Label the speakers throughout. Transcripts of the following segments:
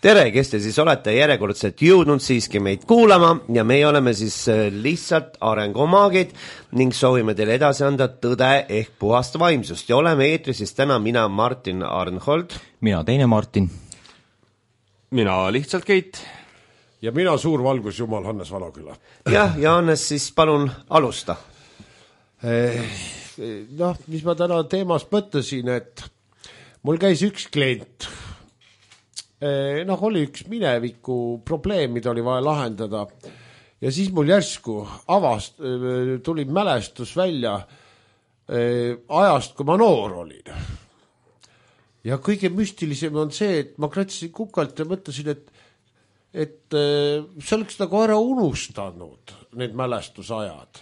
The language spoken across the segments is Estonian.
Speaker 1: tere, kes te siis olete järjekordselt jõudnud siiski meid kuulama ja meie oleme siis lihtsalt arengumaagid ning soovime teile edasi anda tõde ehk puhast vaimsust ja oleme eetris siis täna mina Martin Arnhold.
Speaker 2: Mina teine Martin.
Speaker 3: Mina lihtsalt Keit.
Speaker 4: Ja mina suur valgusjumal Hannes Valaküla.
Speaker 1: Jah, ja Hannes siis palun alusta.
Speaker 4: Mis ma täna teemast mõtlesin, et mul käis üks klient. Oli üks mineviku probleem, mida oli vaja lahendada ja siis mul järsku tuli mälestus välja ajast, kui ma noor olin. Ja kõige müstilisem on see, et ma kratsisin kukalt ja mõtlesin, et see oleks nagu ära unustanud need mälestusajad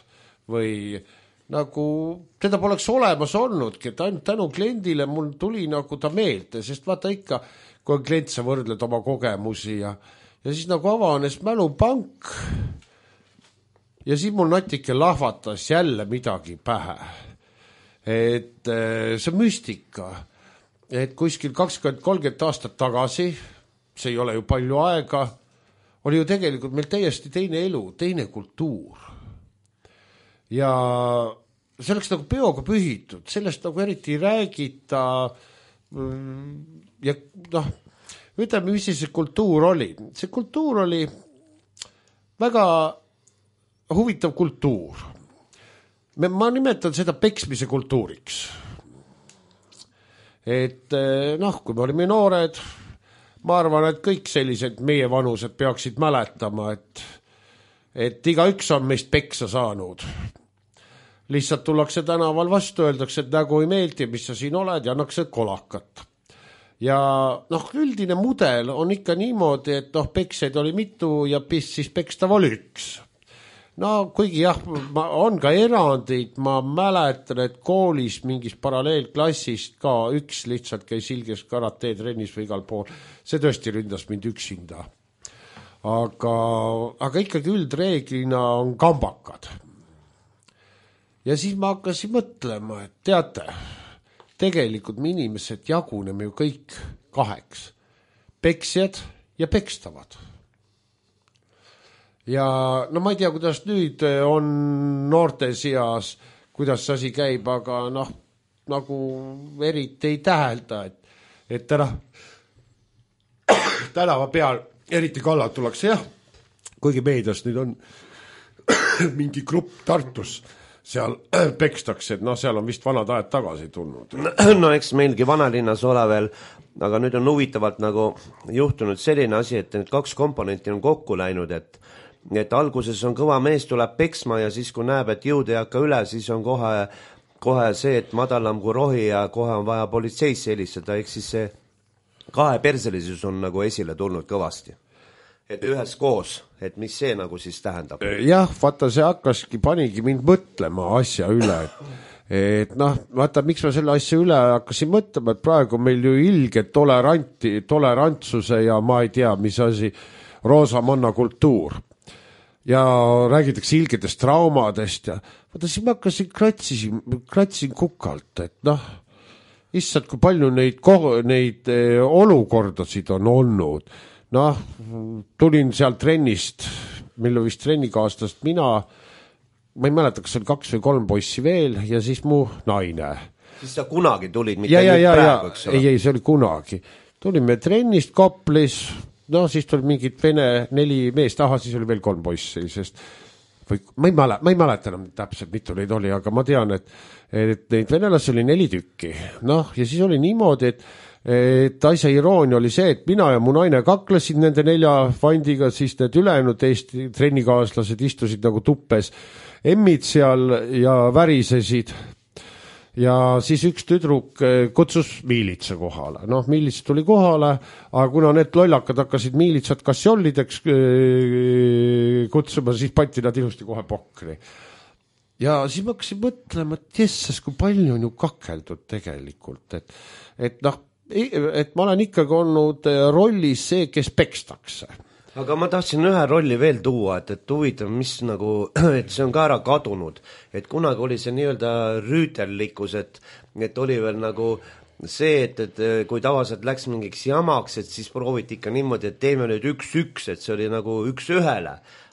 Speaker 4: või nagu teda poleks olemas olnudki, et ainult tänu kliendile mul tuli nagu ta meelde, sest vaata ikka kui on klient, sa võrdled oma kogemusi ja siis nagu avanes mälupank ja siis mul natike lahvatas jälle midagi pähe. Et see müstika, et kuskil 20-30 aastat tagasi, see ei ole ju palju aega, oli ju tegelikult meil täiesti teine elu, teine kultuur. Ja see oleks nagu peoga pühitud, sellest nagu eriti ei räägita ja ütleme, mis see kultuur oli. See kultuur oli väga huvitav kultuur. Ma nimetan seda peksmise kultuuriks. Et kui me olime noored, ma arvan, et kõik sellised meie vanused peaksid mäletama, et igaüks on meist peksa saanud. Lihtsalt tullakse tänaval vastu, öeldakse, et nägu ei meeldi, mis sa siin oled ja annakse kolakat. Ja üldine mudel on ikka niimoodi, et pekseid oli mitu ja siis pekstav oli üks. Kuigi jah, on ka erandid, ma mäletan, et koolis mingis paralleelklassist ka üks lihtsalt käis ilges karate trennis või igal pool. See tõesti ründas mind üksinda. Aga ikkagi üldreeglina on kambakad. Ja siis ma hakkasin mõtlema, et teate, tegelikult me inimesed jaguneme ju kõik kaheks. Peksjad ja pekstavad. Ja ma ei tea, kuidas nüüd on noorte seas, kuidas see asi käib, aga nagu eriti ei tähelda, et tänava peal eriti kallalt tullakse, jah. Kuigi meedias nüüd on mingi grupp Tartus, seal pekstakse, et seal on vist vanad ajad tagasi tulnud.
Speaker 1: Eks meilgi vanalinnas ole veel, aga nüüd on huvitavalt nagu juhtunud selline asi, et need kaks komponenti on kokku läinud, et alguses on kõva mees tuleb peksma ja siis kui näeb, et jõud ei hakka üle, siis on kohe see, et madalam kui rohi ja kohe on vaja politseisse helistada, ehk siis see kaheperselisus on nagu esile tulnud kõvasti. Et ühes koos, et mis see nagu siis tähendab?
Speaker 4: Jah, vaata, see panigi mind mõtlema asja üle, et vaata, miks ma selle asja üle hakkasin mõtlema, et praegu meil ju ilge tolerantsuse ja ma ei tea, mis asi, roosamanna kultuur. Ja räägitakse ilgedest traumadest ja vaata, siis ma hakkasin kratsisin kukalt, et issand, kui palju neid olukordasid on olnud. Tulin seal trennist, mille vist trennikaaslast ma ei mäleta, kas oli 2 või 3 poissi veel ja siis mu naine.
Speaker 1: Siis sa kunagi tulid, mitte nüüd praegu, eks ole?
Speaker 4: Ei, see oli kunagi. Tulime trennist Koplis, siis tuli mingid vene 4 meest, siis oli veel 3 poissi, sest ma ei mäleta enam täpselt, mitu neid oli, aga ma tean, et neid venelasi oli 4 tükki. Ja siis oli niimoodi, et asja iroonia oli see, et mina ja mu naine kaklesid nende 4 vandiga, siis need ülejäänud Eesti trennikaaslased istusid nagu tuppes emmid seal ja värisesid. Ja siis üks tüdruk kutsus miilitsa kohale. Miilits tuli kohale, aga kuna need lollakad hakkasid miilitsat kassiollideks kutsuma, siis pandi nad ilusti kohe pokri. Ja siis ma hakkasin mõtlema, et jessas, kui palju on ju kakeldud tegelikult, et ma olen ikkagi olnud rollis see, kes pekstakse.
Speaker 1: Aga ma tahtsin ühe rolli veel tuua, et huvitav, mis nagu, et see on ka ära kadunud, et kunagi oli see nii-öelda rüütellikkus, et oli veel nagu see, et kui tavaliselt läks mingiks jamaks, et siis prooviti ikka niimoodi, et teeme nüüd 1-1, et see oli nagu 1-1,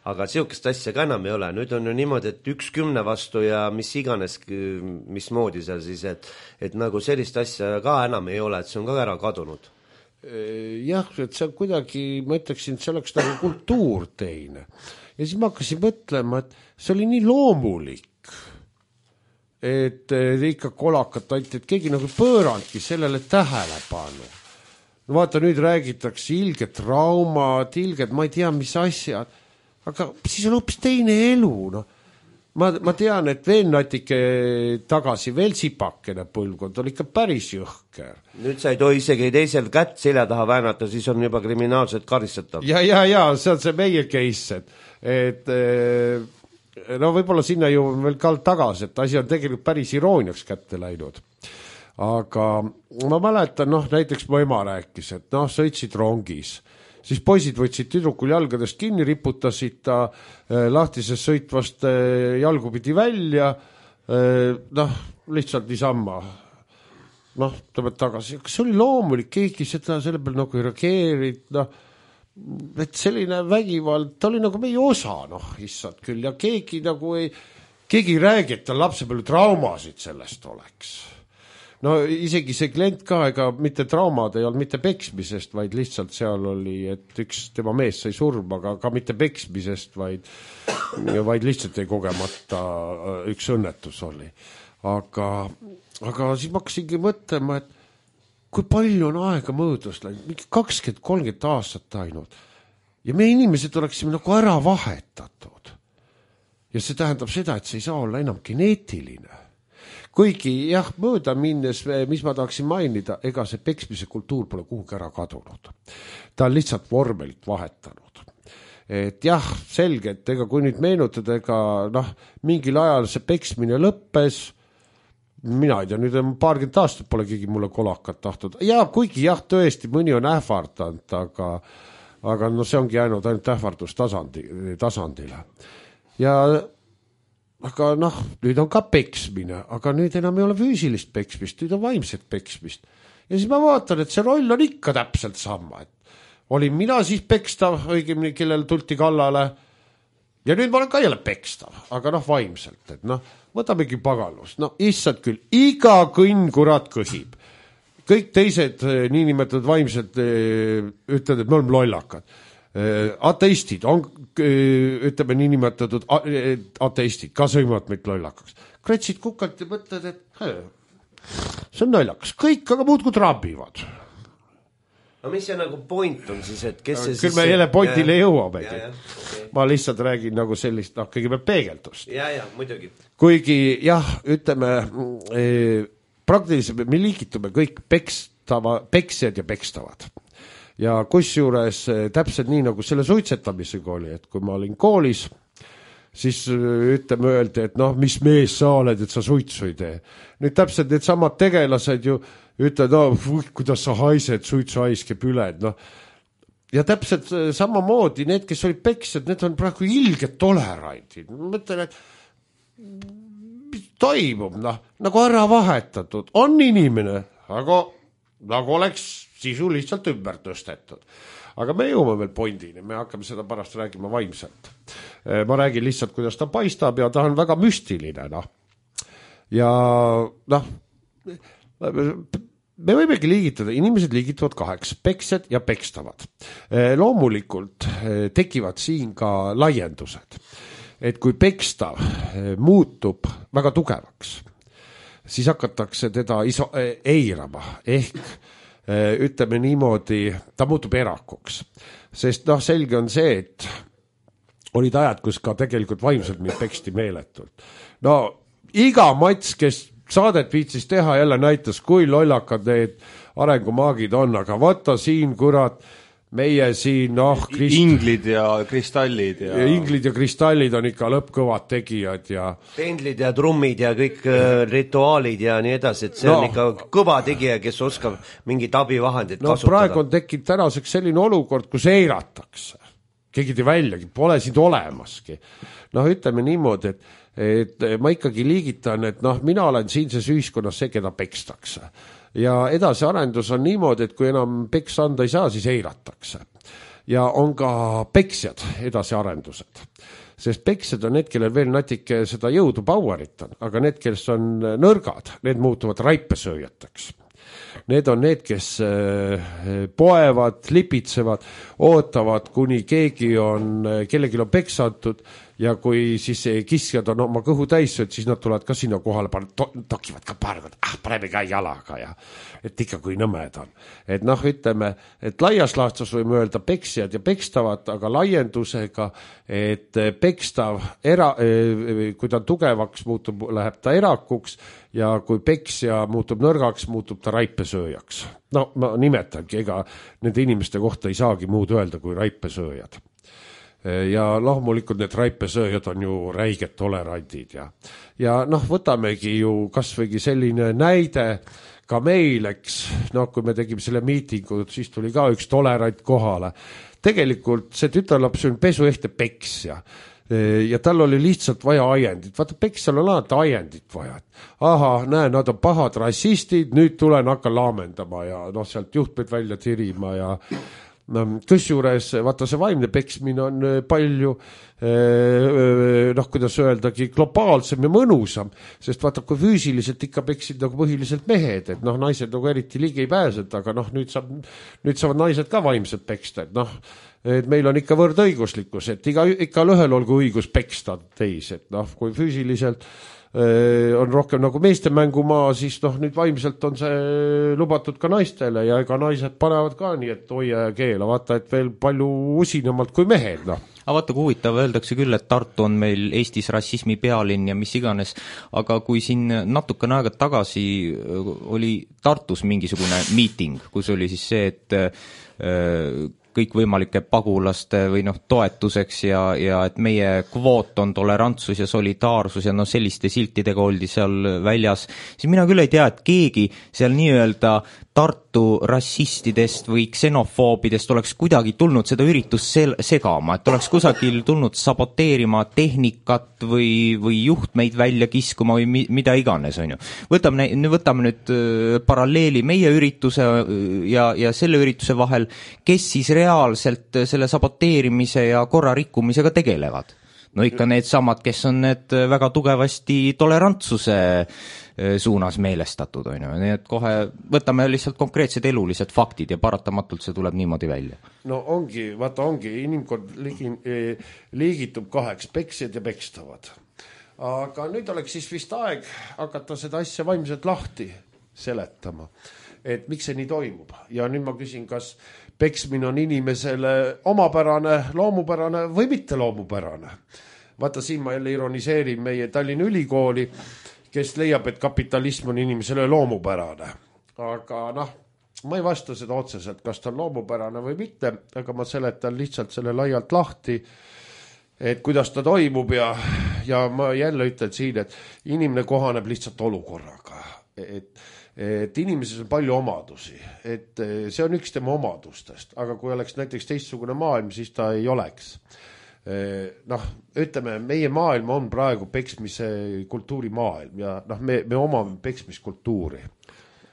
Speaker 1: aga niisugust asja ka enam ei ole, nüüd on ju niimoodi, et 1-10 vastu ja mis iganes, mismoodi seal siis, et nagu sellist asja ka enam ei ole, et see on ka ära kadunud.
Speaker 4: Jah, et see on kuidagi, ma ütleksin, et see oleks nagu kultuur teine. Ja siis ma hakkasin mõtlema, et see oli nii loomulik, et ikka kolakat anti, et keegi nagu pöörandki sellele tähelepanu. No vaata, nüüd räägitakse ilged traumad, ilged, ma ei tea, mis asjad, aga siis on hoopis teine elu, no. Ma tean, et veel natuke tagasi veel sipakene põlvkond oli ikka päris jõhker.
Speaker 1: Nüüd sa ei tohi isegi teisel kätt selja taha väänata, siis on juba kriminaalselt karistatav.
Speaker 4: Ja, see on see meie case, et no võib-olla sinna ju veel ka tagasi, et asi on tegelikult päris irooniaks kätte läinud. Aga ma mäletan, näiteks mu ema rääkis, et sõitsid rongis, siis poisid võtsid tüdrukul jalgadest kinni, riputasid ta lahtisest sõitvast jalgupidi välja, lihtsalt niisama. Tõmbad tagasi. Kas see oli loomulik, keegi seda selle peal nagu ei reageerid, et selline vägivald, ta oli nagu meie osa, issand küll, ja keegi nagu keegi ei räägi, et tal lapse palju traumasid sellest oleks. No isegi see klient ka, ega mitte traumad ei olnud mitte peksmisest, vaid lihtsalt seal oli, et üks tema mees sai surma, aga ka mitte peksmisest, vaid lihtsalt ei kogemata üks õnnetus oli. Aga siis ma hakkasingi mõtlema, et kui palju on aega mõõdus läinud, mingi 20-30 aastat ainult. Ja meie inimesed oleksime nagu ära vahetatud. Ja see tähendab seda, et see ei saa olla enam geneetiline. Kuigi jah, mööda minnes, mis ma tahaksin mainida, ega see peksmise kultuur pole kuhugi ära kadunud. Ta on lihtsalt vormelit vahetanud. Et jah, selge, et ega kui nüüd meenutada, ega mingil ajal see peksmine lõppes, mina ei tea, nüüd on paarkümmend aastat pole keegi mulle kolakat tahtnud. Ja kuigi jah, tõesti, mõni on ähvardanud, aga see ongi jäänud ainult ähvardus tasandile. Ja aga nüüd on ka peksmine, aga nüüd enam ei ole füüsilist peksmist, nüüd on vaimset peksmist. Ja siis ma vaatan, et see roll on ikka täpselt sama. Olin mina siis pekstav, õigemini, kellel tulti kallale, ja nüüd ma olen ka jälle pekstav, aga vaimselt, et võtamegi pagalus. Issand küll, iga kõnn kurat kõhib. Kõik teised niinimetatud vaimsed ütlevad, et me oleme lollakad. Ateistid on, ütleme niinimetatud ateistid, ka sõimavad meid lollakaks. Kretsid kukalt ja mõtled, et see on naljakas. Kõik aga muudkui trabivad.
Speaker 1: No mis see nagu point on siis, et kes see
Speaker 4: küll me jälle pointile jõuamegi. Ma lihtsalt räägin nagu sellist, kõigepealt peegeldust.
Speaker 1: Ja, muidugi.
Speaker 4: Kuigi jah, ütleme, praktiliselt me liigitume kõik peksjad ja pekstavad. Ja kusjuures täpselt nii nagu selle suitsetamisega oli, et kui ma olin koolis, siis ütleme öeldi, et mis mees sa oled, et sa suitsu ei tee. Nüüd täpselt need samad tegelased ju ütlevad, kuidas sa haised, suitsu haiskeb üle. Ja täpselt samamoodi need, kes olid peksjad, need on praegu ilged tolerandid. Ma mõtlen, et mis toimub, nagu ära vahetatud. On inimene, aga nagu oleks sisu lihtsalt ümber tõstetud. Aga me jõuame veel pointini, me hakkame seda pärast räägima vaimselt. Ma räägin lihtsalt, kuidas ta paistab ja ta on väga müstiline. Ja me võimegi liigitada, inimesed liigituvad kaheks, peksjad ja pekstavad. Loomulikult tekivad siin ka laiendused, et kui pekstav muutub väga tugevaks, siis hakatakse teda eirama, ehk ütleme niimoodi, ta muutub erakuks. Sest selge on see, et olid ajad, kus ka tegelikult vaimselt mind peksti meeletult. Iga mats, kes saadet viitsis teha, jälle näitas, kui lollakad need arengumaagid on, aga vaata siin, kurat, meie siin,
Speaker 3: Inglid ja kristallid.
Speaker 4: Inglid ja kristallid on ikka lõppkõvad tegijad ja
Speaker 1: pendlid ja trummid ja kõik rituaalid ja nii edasi, et see on ikka kõva tegija, kes oskab mingit abivahendit kasutada.
Speaker 4: Praegu on tekkinud tänaseks selline olukord, kus eiratakse. Keegi te väljagi, pole sind olemaski. Ütleme niimoodi, et ma ikkagi liigitan, et mina olen siinses ühiskonnas see, keda pekstakse. ja edasiarendus on niimoodi, et kui enam peksa anda ei saa, siis eiratakse. Ja on ka peksjad edasiarendused. Sest peksjad on need, kellel veel natuke seda jõudu powerit on, aga need, kes on nõrgad, need muutuvad raipesööjateks. Need on need, kes poevad, lipitsevad, ootavad, kuni kellelgi on peksantud ja kui siis kiskjad on oma kõhu täis, siis nad tulevad ka sinna kohale, tokivad ka paar korda, paneme ka jalaga ja et ikka kui nõmed on. Et noh, ütleme, et laias laastus võime öelda peksjad ja pekstavad, aga laiendusega, et pekstav, kui ta tugevaks muutub, läheb ta erakuks ja kui peksja muutub nõrgaks, muutub ta raipesööjaks. No ma nimetangi, ega nende inimeste kohta ei saagi muud öelda kui raipesööjad. Ja loomulikult need raipesööjad on ju räiged tolerandid ja noh, võtamegi ju kasvõigi selline näide ka meil, eks, noh, kui me tegime selle miitingu, siis tuli ka üks tolerant kohale. Tegelikult see tütarlaps on pesuehte peksja ja tal oli lihtsalt vaja ajendit. Vaata, peksjal on alati ajendit vaja. Aha, näe, nad on pahad rassistid, nüüd tulen hakkan laamendama ja noh, sealt juhtmeid välja tirima ja kusjuures, vaata see vaimne peksmine on palju, noh, kuidas öeldagi, globaalsem ja mõnusam, sest vaata, kui füüsiliselt ikka peksid nagu põhiliselt mehed, et noh, naised nagu eriti ligi ei pääsed, aga noh, nüüd saavad naised ka vaimselt peksta, et noh, et meil on ikka võrdõiguslikkus, et ikka ühel olgu õigus peksta teis, et noh, kui füüsiliselt on rohkem nagu meeste mängumaa, siis noh, nüüd vaimselt on see lubatud ka naistele ja ega naised panevad ka nii, et hoia ja keela, vaata, et veel palju usinamalt kui mehed, noh.
Speaker 2: Aga vaata, kui huvitav, öeldakse küll, et Tartu on meil Eestis rassismi pealinn ja mis iganes, aga kui siin natukene aega tagasi oli Tartus mingisugune miiting, kus oli siis see, et kõikvõimalike pagulaste või noh, toetuseks ja et meie kvoot on tolerantsus ja solidaarsus ja noh, selliste siltidega oldi seal väljas, siis mina küll ei tea, et keegi seal nii-öelda Tartu rassistidest või ksenofoobidest oleks kuidagi tulnud seda üritust segama, et oleks kusagil tulnud saboteerima tehnikat või juhtmeid välja kiskuma või mida iganes, on ju. Võtame nüüd paralleeli meie ürituse ja selle ürituse vahel, kes siis reaalselt selle saboteerimise ja korra rikkumisega tegelevad. No ikka need samad, kes on need väga tugevasti tolerantsuse suunas meelestatud, on ju. Nii et kohe võtame lihtsalt konkreetsed elulised faktid ja paratamatult see tuleb niimoodi välja.
Speaker 4: No ongi, inimkond liigitub kaheks, peksjad ja pekstavad. Aga nüüd oleks siis vist aeg hakata seda asja vaimselt lahti seletama, et miks see nii toimub. Ja nüüd ma küsin, kas peksmine on inimesele omapärane, loomupärane või mitte loomupärane. Vaata, siin ma jälle ironiseerin meie Tallinna Ülikooli, kes leiab, et kapitalism on inimesele loomupärane. Aga noh, ma ei vasta seda otseselt, kas ta on loomupärane või mitte, aga ma seletan lihtsalt selle laialt lahti, et kuidas ta toimub ja ma jälle ütlen siin, et inimene kohaneb lihtsalt olukorraga. Et inimeses on palju omadusi, et see on üks tema omadustest, aga kui oleks näiteks teistsugune maailm, siis ta ei oleks. Noh, ütleme, meie maailm on praegu peksmise kultuuri maailm ja noh, me omame peksmiskultuuri.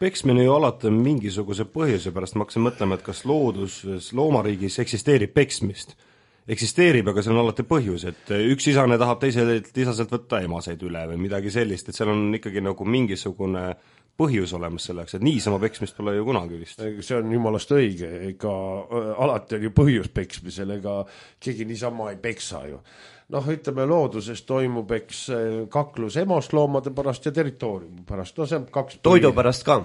Speaker 3: Peksmine ju alati mingisuguse põhjuse pärast, ma hakkasin mõtlema, et kas loomariigis eksisteerib peksmist. Eksisteerib, aga see on alati põhjus, et üks isane tahab teiselt isaselt võtta emaseid üle või midagi sellist, et seal on ikkagi nagu mingisugune põhjus olemas selleks, et niisama peksmist pole ju kunagi vist.
Speaker 4: See on jumalast õige, ega alati on ju põhjus peksmisel, ega keegi niisama ei peksa ju. Noh, ütleme, looduses toimub kaklus emosloomade pärast ja territooriumi pärast. No see on kaks
Speaker 1: toidu pärast ka.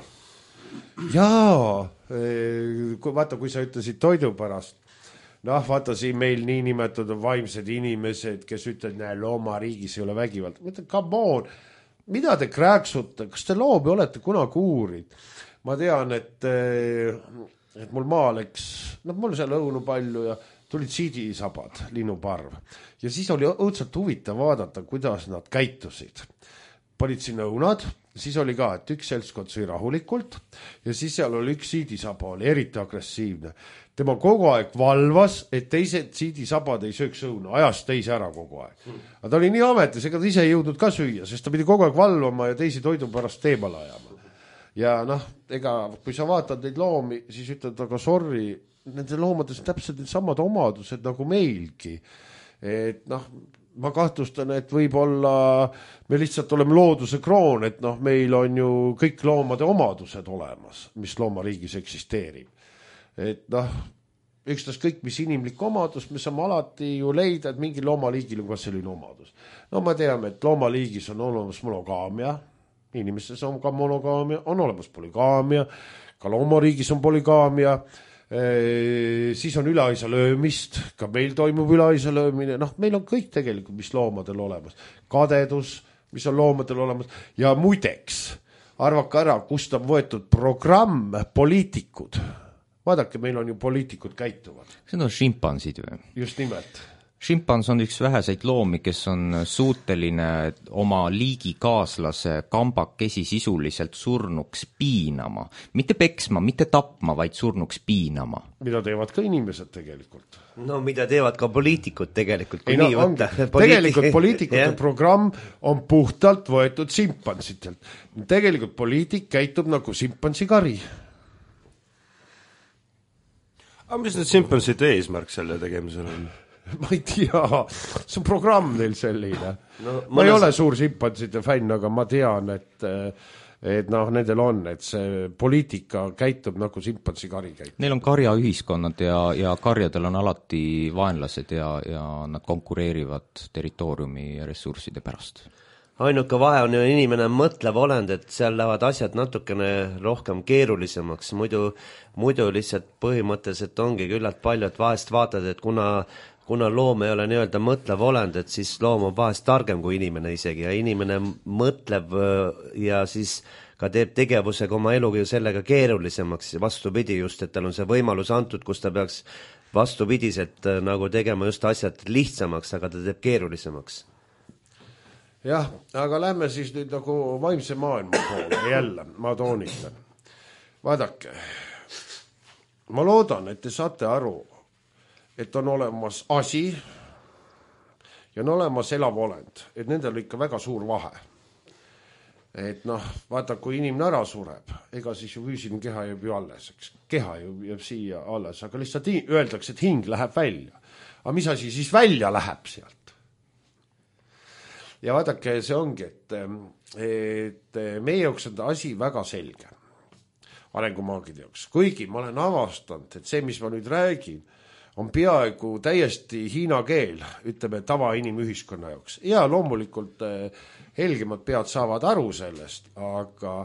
Speaker 4: Jaa, kui sa ütlesid toidu pärast, noh, vaata siin meil nii nimetatud vaimsed inimesed, kes ütlevad, näe, loomariigis ei ole vägivald. Ma ütlen, come on, mida te krääksute, kas te loomi olete kunagi uurid? Ma tean, et mul maal mul seal õunu palju ja tulid siidisabad, linnuparv. Ja siis oli õudselt huvitav vaadata, kuidas nad käitusid. Panid sinna õunad, siis oli ka, et üks seltskond sõi rahulikult ja siis seal oli üks siidisaba, oli eriti agressiivne. Tema kogu aeg valvas, et teised siidisabad ei sööks õuna, ajas teise ära kogu aeg. Aga ta oli nii ametis, ega ta ise ei jõudnud ka süüa, sest ta pidi kogu aeg valvama ja teisi toidu pärast teemale ajama. ja noh, ega kui sa vaatad neid loomi, siis ütled, aga sorry, nende loomades on täpselt need samad omadused nagu meilgi. Et noh, ma kahtlustan, et võib-olla me lihtsalt oleme looduse kroon, et noh, meil on ju kõik loomade omadused olemas, mis loomariigis eksisteerib. Et noh, ükstas kõik, mis inimlik omadus, me saame alati ju leida, et mingi loomaliigil on ka selline omadus. No me teame, et loomaliigis on olemas monogaamia, inimestes on ka monogaamia, on olemas polygaamia, ka loomariigis on polygaamia, siis on üleaisa löömist, ka meil toimub üleaisa löömine, noh, meil on kõik tegelikult, mis loomadel olemas. Kadedus, mis on loomadel olemas, ja muideks, arvake ära, kust on võetud programm poliitikud. Vaadake, meil on ju poliitikud käituvad.
Speaker 2: See on šimpansid või?
Speaker 4: Just nimelt.
Speaker 2: Šimpans on üks väheseid loomi, kes on suuteline oma liigikaaslase kambakesi sisuliselt surnuks piinama. Mitte peksma, mitte tapma, vaid surnuks piinama.
Speaker 4: Mida teevad ka inimesed tegelikult.
Speaker 1: No mida teevad ka poliitikud tegelikult.
Speaker 4: Ei, no, tegelikult poliitikute programm on puhtalt võetud šimpansitelt. Tegelikult poliitik käitub nagu šimpansikari.
Speaker 3: Aga mis need šimpanside eesmärk selle tegemisel on?
Speaker 4: Ma ei tea, see on programm neil selline. No, ma ei ole suur šimpanside fänn, aga ma tean, et noh, nendel on, et see poliitika käitub nagu šimpansikari käitub.
Speaker 2: Neil on karjaühiskonnad ja karjadel on alati vaenlased ja nad konkureerivad territooriumi ja ressursside pärast.
Speaker 1: Ainuke vahe on ju inimene mõtlev olend, et seal lähevad asjad natukene rohkem keerulisemaks, muidu lihtsalt põhimõtteliselt ongi küllalt palju, et vahest vaatad, et kuna loom ei ole nii-öelda mõtlev olend, et siis loom on vahest targem kui inimene isegi ja inimene mõtleb ja siis ka teeb tegevusega oma eluga ju sellega keerulisemaks ja vastupidi just, et tal on see võimalus antud, kus ta peaks vastupidiselt nagu tegema just asjad lihtsamaks, aga ta teeb keerulisemaks.
Speaker 4: Jah, aga lähme siis nüüd nagu vaimse maailma poole jälle, ma toonitan. Vaadake, ma loodan, et te saate aru, et on olemas asi ja on olemas elav olend, et nendel on ikka väga suur vahe. Et noh, vaata, kui inimene ära sureb, ega siis ju füüsiline keha jääb ju alles, eks. Keha ju jääb siia alles, aga lihtsalt öeldakse, et hing läheb välja. Aga mis asi siis välja läheb sealt? Ja vaadake, see ongi, et meie jaoks on asi väga selge arengumaagide jaoks. Kuigi ma olen avastanud, et see, mis ma nüüd räägin, on peaaegu täiesti hiina keel, ütleme tava inimühiskonna jaoks. Ja loomulikult helgemad pead saavad aru sellest, aga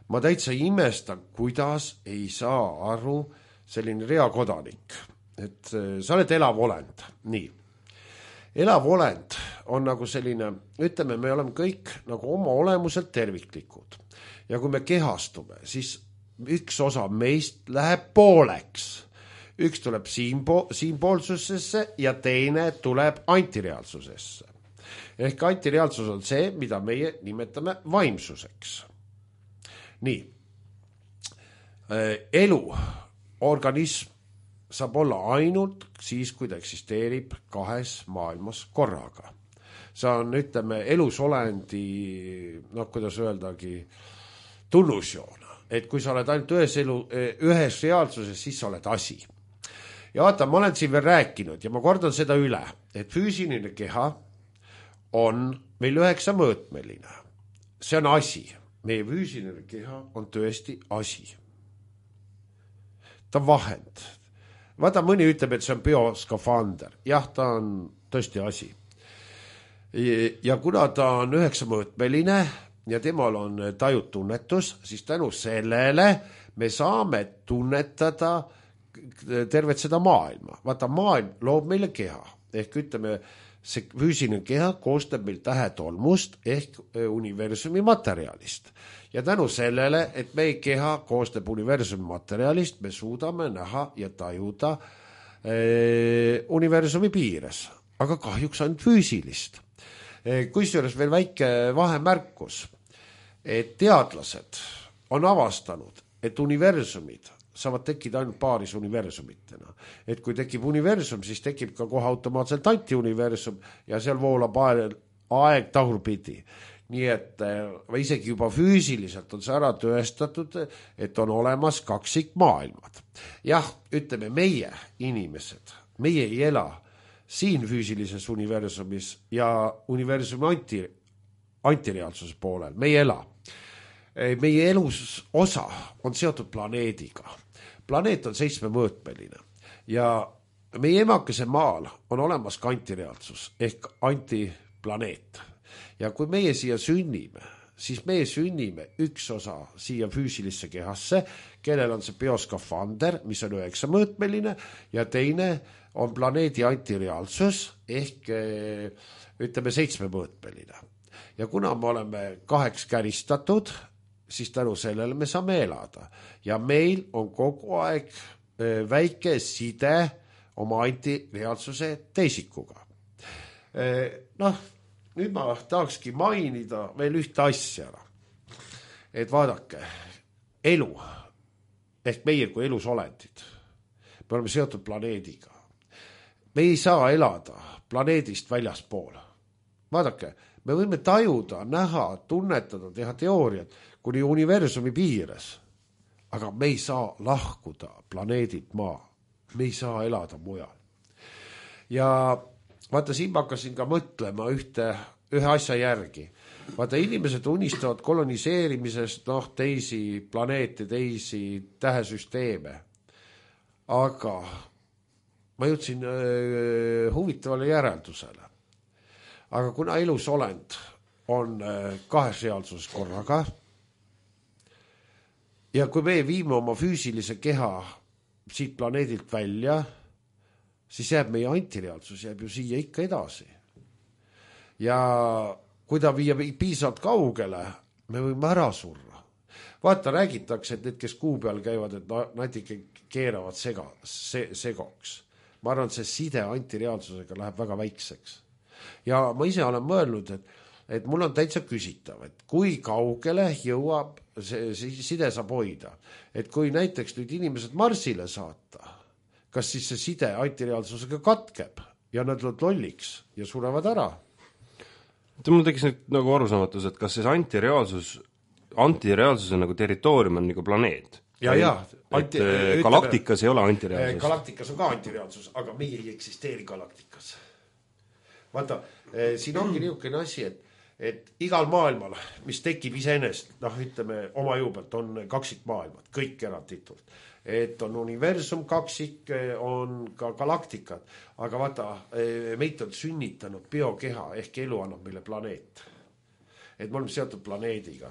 Speaker 4: ma täitsa imestan, kuidas ei saa aru selline reakodanik. Et sa oled elav olend, nii. Elav olend on nagu selline, ütleme, me oleme kõik nagu oma olemuselt terviklikud. Ja kui me kehastume, siis üks osa meist läheb pooleks. Üks tuleb siinpoolsusesse ja teine tuleb antireaalsusesse. Ehk antireaalsus on see, mida meie nimetame vaimsuseks. Nii. Elu, organism saab olla ainult siis, kui ta eksisteerib kahes maailmas korraga. See on, ütleme, elusolendi, noh, kuidas öeldagi, tunnusjoon. Et kui sa oled ainult ühes reaalsuses, siis sa oled asi. Ja vaata, ma olen siin veel rääkinud ja ma kordan seda üle, et füüsiline keha on meil 9 mõõtmeline. See on asi. Meie füüsiline keha on tõesti asi. Ta on vahend. Vaata, mõni ütleb, et see on bioskafander. Jah, ta on tõesti asi. Ja kuna ta on 9 mõõtmeline ja temal on tajutunnetus, siis tänu sellele me saame tunnetada tervet seda maailma. Vaata, maailm loob meile keha. Ehk ütleme, see füüsiline keha koostab meil tähetolmust ehk universumi materjalist. Ja tänu sellele, et meie keha koostab universumi materjalist, me suudame näha ja tajuda universumi piires. Aga kahjuks ainult füüsilist. Kusjuures veel väike vahemärkus, et teadlased on avastanud, et universumid saavad tekkida ainult paaris universumitena. Et kui tekib universum, siis tekib ka kohe automaatselt antiuniversum ja seal voolab aeg tagurpidi. nii et või isegi juba füüsiliselt on see ära tõestatud, et on olemas kaksikmaailmad. Jah, ütleme meie inimesed, meie ei ela siin füüsilises universumis ja universumi antireaalsuse poolel, me ei ela. Meie elus osa on seotud planeediga. Planeet on 7-mõõtmeline ja meie emakese maal on olemas ka antireaalsus ehk antiplaneet. Ja kui meie siia sünnime, siis meie sünnime üks osa siia füüsilisse kehasse, kellel on see bioskafander, mis on 9-mõõtmeline ja teine on planeedi antireaalsus ehk ütleme 7-mõõtmeline. Ja kuna me oleme 2 käristatud, siis tänu sellele me saame elada. Ja meil on kogu aeg väike side oma antireaalsuse teisikuga. Nüüd ma tahakski mainida veel ühte asja. Et vaadake, elu, ehk meie kui elusolendid, me oleme seotud planeediga. Me ei saa elada planeedist väljaspool. Vaadake, me võime tajuda, näha, tunnetada, teha teooriat kuni universumi piires, aga me ei saa lahkuda planeedit maa. Me ei saa elada mujal. Ja vaata, siin ma hakkasin ka mõtlema ühe asja järgi. Vaata, inimesed unistavad koloniseerimisest teisi planeete, teisi tähesüsteeme. Aga ma jõudsin huvitavale järeldusele. Aga kuna elusolend on 2 reaalsuses korraga ja kui me viime oma füüsilise keha siit planeedilt välja, siis jääb meie antireaalsus jääb ju siia ikka edasi. Ja kui ta viia piisavalt kaugele, me võime ära surra. Vaata, räägitakse, et need, kes kuu peal käivad, et nad ikka keeravad segoks. Ma arvan, et see side antireaalsusega läheb väga väikseks. Ja ma ise olen mõelnud, et mul on täitsa küsitav, et kui kaugele jõuab see side saab hoida. Et kui näiteks nüüd inimesed Marsile saata, kas siis see side antireaalsusega katkeb ja nad lolliks ja surevad ära?
Speaker 3: Mul tekkis nüüd nagu arusaamatus, et kas siis antireaalsuse nagu territoorium on nagu planeet? Galaktikas ei ole antireaalsus.
Speaker 4: Galaktikas on ka antireaalsus, aga meie ei eksisteeri galaktikas. Vaata, siin ongi niisugune asi, et igal maailmal, mis tekib iseenest, ütleme oma jõubelt, on kaksikmaailmad, kõik eranditult. Et on universum kaksik, on ka galaktikad, aga vaata, meid on sünnitanud biokeha ehk elu annab meile planeet. Et me oleme seotud planeediga.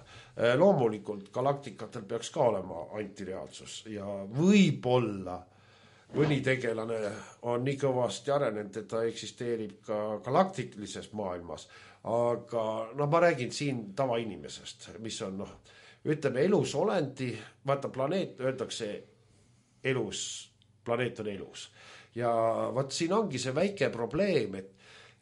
Speaker 4: Loomulikult galaktikatel peaks ka olema antireaalsus ja võib-olla mõni tegelane on nii kõvasti arenenud, et ta eksisteerib ka galaktilises maailmas, aga ma räägin siin tavainimesest, mis on, ütleme elusolendi, vaata planeet, öeldakse elus, planeet on elus. Ja vaat siin ongi see väike probleem,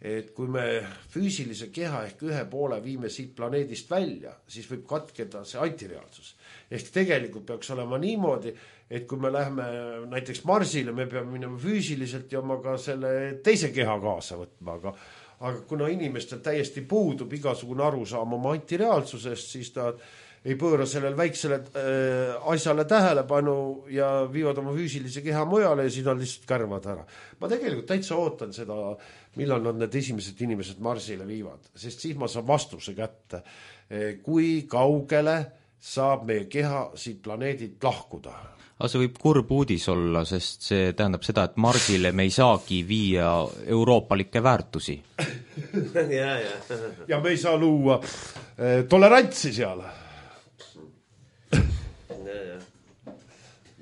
Speaker 4: et kui me füüsilise keha ehk ühe poole viime siit planeedist välja, siis võib katkeda see antireaalsus. Ehk tegelikult peaks olema niimoodi, et kui me läheme näiteks Marsile, me peame minema füüsiliselt ja oma ka selle teise keha kaasa võtma, aga kuna inimestel täiesti puudub igasugune arusaam oma antireaalsusest, siis ta ei pööra sellel väiksele asjale tähelepanu ja viivad oma füüsilise keha mujale ja siis nad lihtsalt kärvad ära. Ma tegelikult täitsa ootan seda, millal nad need esimesed inimesed Marsile viivad, sest siis ma saan vastuse kätte, kui kaugele saab meie keha siit planeedilt lahkuda.
Speaker 2: Aga see võib kurb uudis olla, sest see tähendab seda, et Marsile me ei saagi viia euroopalikke väärtusi.
Speaker 4: Ja me ei saa luua tolerantsi seal.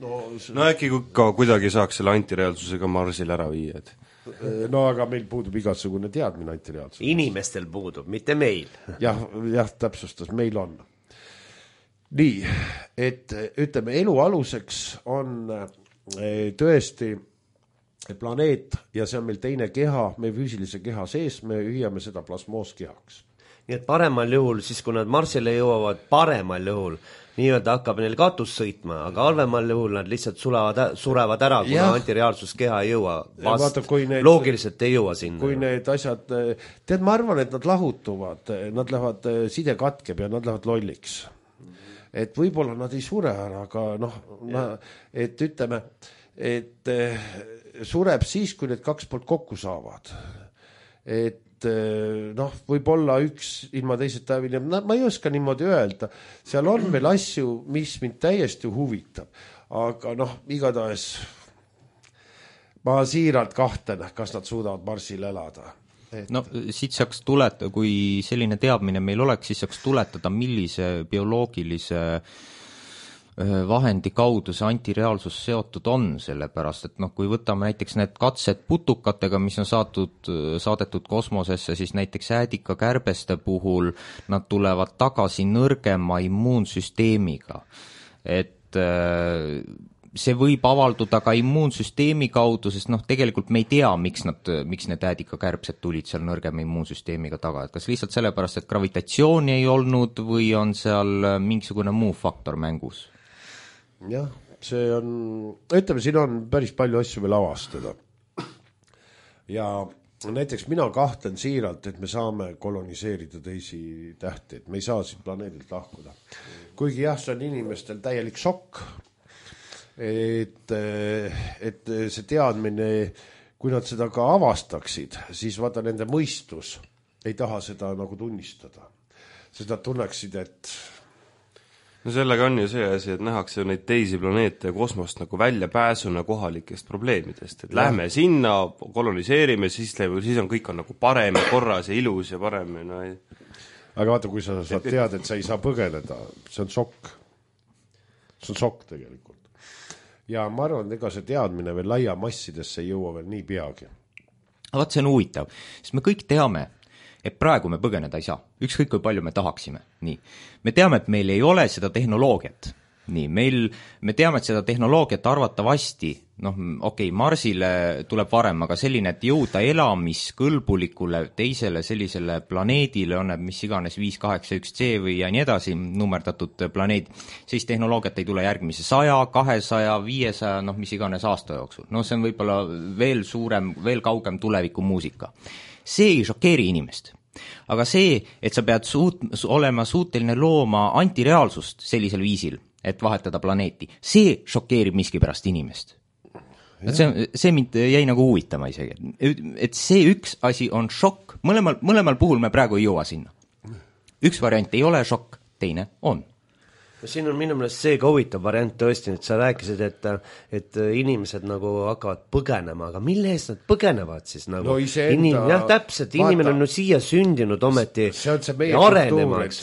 Speaker 3: No äkki ka kuidagi saaks selle antireaalsusega Marsile ära viia, et
Speaker 4: no aga meil puudub igasugune teadmine antireaalsus.
Speaker 1: Inimestel puudub, mitte meil.
Speaker 4: jah, täpsustas, meil on. Nii, et ütleme, elu aluseks on tõesti planeet ja see on meil teine keha, meie füüsilise keha sees, me hüüame seda plasmooskehaks.
Speaker 1: nii et paremal juhul, siis kui nad Marsile jõuavad, paremal juhul nii-öelda hakkab neil katus sõitma, aga halvemal juhul nad lihtsalt surevad ära, kuna antireaalsuskeha ei jõua vast, loogiliselt ei jõua sinna.
Speaker 4: Kui need asjad, tead, ma arvan, et nad lahutuvad, nad lähevad, side katkeb ja nad lähevad lolliks. Et võib-olla nad ei sure ära, aga et ütleme, et sureb siis, kui need kaks poolt kokku saavad. Et võib-olla üks ilma teiseta hävineb, ma ei oska niimoodi öelda, seal on veel asju, mis mind täiesti huvitab, aga igatahes ma siiralt kahtlen, kas nad suudavad Marsil elada.
Speaker 2: No siit saaks tuletada, kui selline teadmine meil oleks, siis saaks tuletada, millise bioloogilise vahendi kaudu see antireaalsus seotud on, sellepärast, et kui võtame näiteks need katsed putukatega, mis on saadetud kosmosesse, siis näiteks äädikakärbeste puhul nad tulevad tagasi nõrgema immuunsüsteemiga. Et see võib avalduda ka immuunsüsteemi kaudu, sest tegelikult me ei tea, miks need äädikakärbsed tulid seal nõrgema immuunsüsteemiga taga, et kas lihtsalt sellepärast, et gravitatsiooni ei olnud või on seal mingisugune muu faktor mängus?
Speaker 4: Jah, see on, ütleme, siin on päris palju asju veel avastada. Ja näiteks mina kahtlen siiralt, et me saame koloniseerida teisi tähti, et me ei saa siit planeedilt lahkuda. Kuigi jah, see on inimestel täielik šokk, et see teadmine, kui nad seda ka avastaksid, siis vaata nende mõistus ei taha seda nagu tunnistada. Seda tunneksid, et
Speaker 3: no sellega on ju see asi, et nähakse neid teisi planeete ja kosmost nagu väljapääsuna kohalikest probleemidest, et lähme sinna, koloniseerime, siis on kõik on nagu parem ja korras ja ilus ja parem ja no ei.
Speaker 4: Aga vaata, kui sa saad teada, et sa ei saa põgeneda, see on šokk. See on šokk tegelikult. Ja ma arvan, et ega see teadmine veel laia massidesse ei jõua veel nii peagi.
Speaker 2: Vaat see on huvitav, sest me kõik teame, et praegu me põgeneda ei saa, ükskõik kui palju me tahaksime. Nii. Me teame, et meil ei ole seda tehnoloogiat. Nii, me teame, et seda tehnoloogiat arvatavasti, Marsile tuleb varem, aga selline, et jõuda elamiskõlbulikule teisele sellisele planeedile, on need mis iganes 581C või ja nii edasi nummerdatud planeed, siis tehnoloogiat ei tule järgmise 100, 200, 500, mis iganes aasta jooksul. See on võib-olla veel suurem, veel kaugem tuleviku muusika. See ei šokeeri inimest. Aga see, et sa pead olema suuteline looma antireaalsust sellisel viisil, et vahetada planeeti, see šokeerib miskipärast inimest. See mind jäi nagu huvitama isegi. Et see üks asi on šokk. Mõlemal puhul me praegu ei jõua sinna. Üks variant ei ole šokk, teine on.
Speaker 1: Siin on minu meelest see ka huvitav variant tõesti, et sa rääkisid, et inimesed nagu hakkavad põgenema, aga mille eest nad põgenevad siis nagu? Jah, täpselt, inimene on siia sündinud ometi
Speaker 4: see on see meie kultuur, et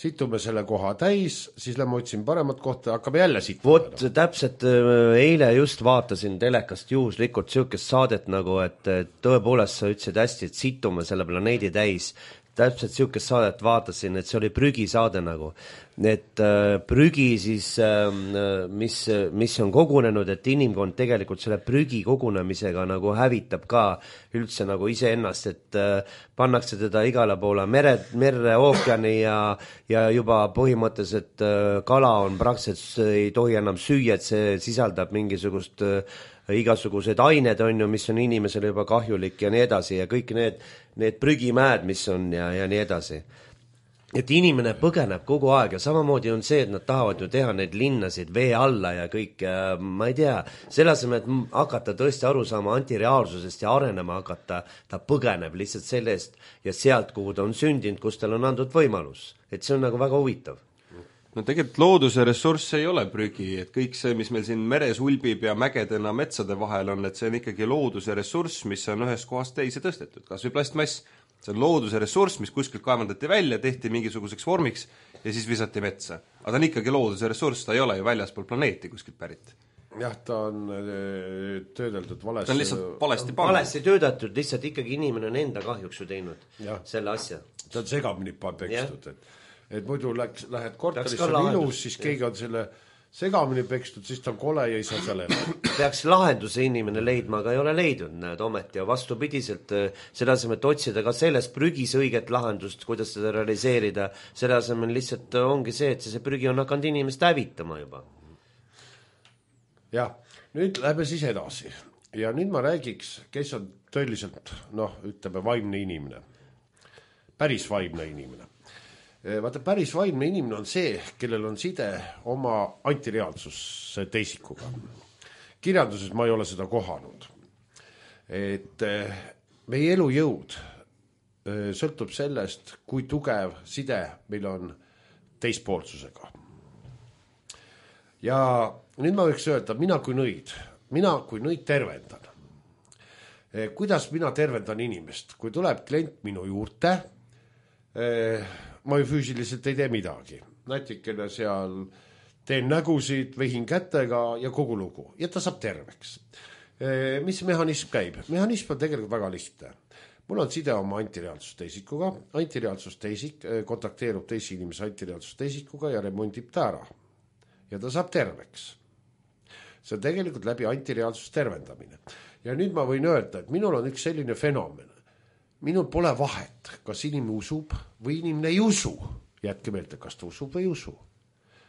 Speaker 4: situme selle koha täis, siis lähme otsin paremat kohta, hakkame jälle situma.
Speaker 1: Täpselt eile just vaatasin telekast juhuslikult siukest saadet nagu, et tõepoolest sa ütlesid hästi, et situme selle planeedi täis. Täpselt siukest saadet vaatasin, et see oli prügisaade nagu, et prügi siis, mis on kogunenud, et inimkond tegelikult selle prügi kogunemisega nagu hävitab ka üldse nagu iseennast, et pannakse teda igale poole merre, ookeani ja juba põhimõtteliselt kala on praktiliselt ei tohi enam süüa, et see sisaldab mingisugust igasugused ained on ju, mis on inimesele juba kahjulik ja nii edasi ja kõik need prügimäed, mis on ja nii edasi. Et inimene põgeneb kogu aeg ja samamoodi on see, et nad tahavad ju teha neid linnasid vee alla ja kõik, ma ei tea, selle asemel, et hakata tõesti aru saama antireaalsusest ja arenema hakata, ta põgeneb lihtsalt sellest ja sealt, kuhu ta on sündinud, kus tal on antud võimalus. Et see on nagu väga huvitav.
Speaker 3: No tegelikult looduse ressurss ei ole prügi, et kõik see, mis meil siin meres ulbib ja mägedena metsade vahel on, et see on ikkagi looduse ressurss, mis on ühest kohast teise tõstetud, kas või plastmass. See on looduse ressurss, mis kuskilt kaevandati välja, tehti mingisuguseks vormiks ja siis visati metsa. Aga ta on ikkagi looduse ressurss, ta ei ole ju väljaspool planeeti kuskilt pärit.
Speaker 4: Jah, ta on töödeldud valesti.
Speaker 3: Ta on lihtsalt
Speaker 1: valesti töödeldud, lihtsalt ikkagi inimene on enda kahjuks ju teinud selle asja.
Speaker 4: Ta on segamini pekstud, et muidu lähed korteris, on ilus, siis keegi on selle segamini pekstud, siis ta on kole ja ei saa seal elada.
Speaker 1: Peaks lahenduse inimene leidma, aga ei ole leidnud, näed ometi, ja vastupidiselt selle asemel, et otsida ka selles prügis õiget lahendust, kuidas seda realiseerida, selle asemel lihtsalt ongi see, et see prügi on hakanud inimest hävitama juba.
Speaker 4: Jah, nüüd lähme siis edasi ja nüüd ma räägiks, kes on tõeliselt, ütleme, vaimne inimene, päris vaimne inimene. Vaata, päris vaimne inimene on see, kellel on side oma antireaalsuse teisikuga. Kirjanduses ma ei ole seda kohanud. Et meie elujõud sõltub sellest, kui tugev side meil on teispoolsusega. Ja nüüd ma võiks öelda, mina kui nõid tervendan. Kuidas mina tervendan inimest? Kui tuleb klient minu juurde, ma ju füüsiliselt ei tee midagi. Nätikene seal teen nägusid, vehin kätega ja kogu lugu. Ja ta saab terveks. Mis mehhanism käib? Mehhanism on tegelikult väga lihtne. Mul on side oma antireaalsusteisikuga. Antireaalsusteisik kontakteerub teisi inimese antireaalsusteisikuga ja remondib ta ära. Ja ta saab terveks. See on tegelikult läbi antireaalsust tervendamine. Ja nüüd ma võin öelda, et minul on üks selline fenomen. Minul pole vahet, kas inimene usub või inimene ei usu. Jätke meelde, kas ta usub või ei usu.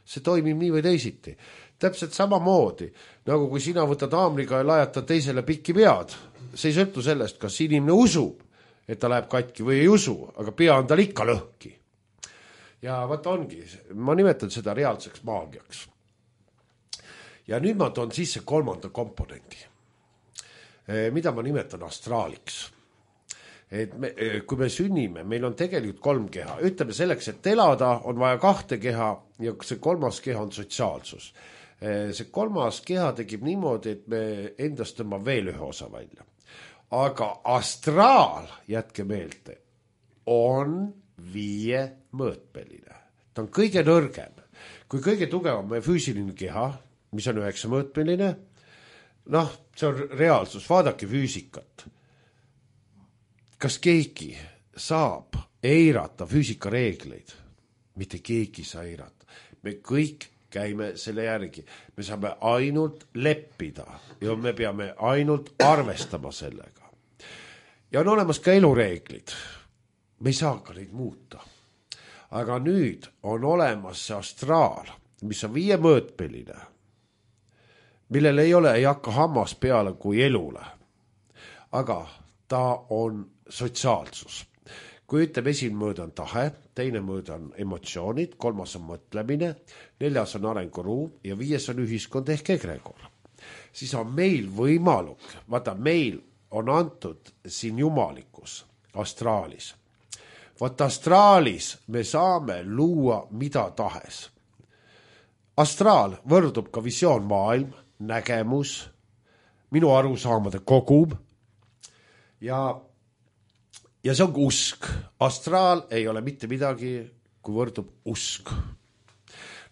Speaker 4: See toimib nii või teisiti. Täpselt samamoodi, nagu kui sina võtad haamriga ja lajatad teisele pikki pead. See ei sõltu sellest, kas inimene usub, et ta läheb katki või ei usu, aga pea on tal ikka lõhki. Ja vaata ongi, ma nimetan seda reaalseks maagiaks. Ja nüüd ma toon sisse kolmanda komponendi, mida ma nimetan astraaliks. Et kui me sünnime, meil on tegelikult 3 keha. Ütleme selleks, et elada on vaja 2 keha ja see 3. keha on sotsiaalsus. See 3. keha tegib niimoodi, et me endast tõmbame veel ühe osa välja. Aga astraal, jätke meelde, on 5 mõõtmeline. Ta on kõige nõrgem. Kui kõige tugevam on füüsiline keha, mis on 9 mõõtmeline, see on reaalsus, vaadake füüsikat. Kas keegi saab eirata füüsikareegleid? Mitte keegi saa eirata. Me kõik käime selle järgi. Me saame ainult leppida ja me peame ainult arvestama sellega. Ja on olemas ka elureeglid. Me ei saa ka neid muuta. Aga nüüd on olemas see astraal, mis on 5 mõõtmeline, millel ei hakka hammas peale kui elule. Aga ta on sotsiaalsus. Kui ütleme, esimene mõõde on tahe, teine mõõde on emotsioonid, 3. on mõtlemine, 4. on arenguruum ja 5. on ühiskond ehk egregor. Siis on meil võimaluk, vaata meil on antud siin jumalikkus astraalis. Vaata astraalis me saame luua mida tahes. Astraal võrdub ka visioonmaailm, nägemus, minu arusaamade kogum ja see on usk. Astraal ei ole mitte midagi, kui võrdub usk.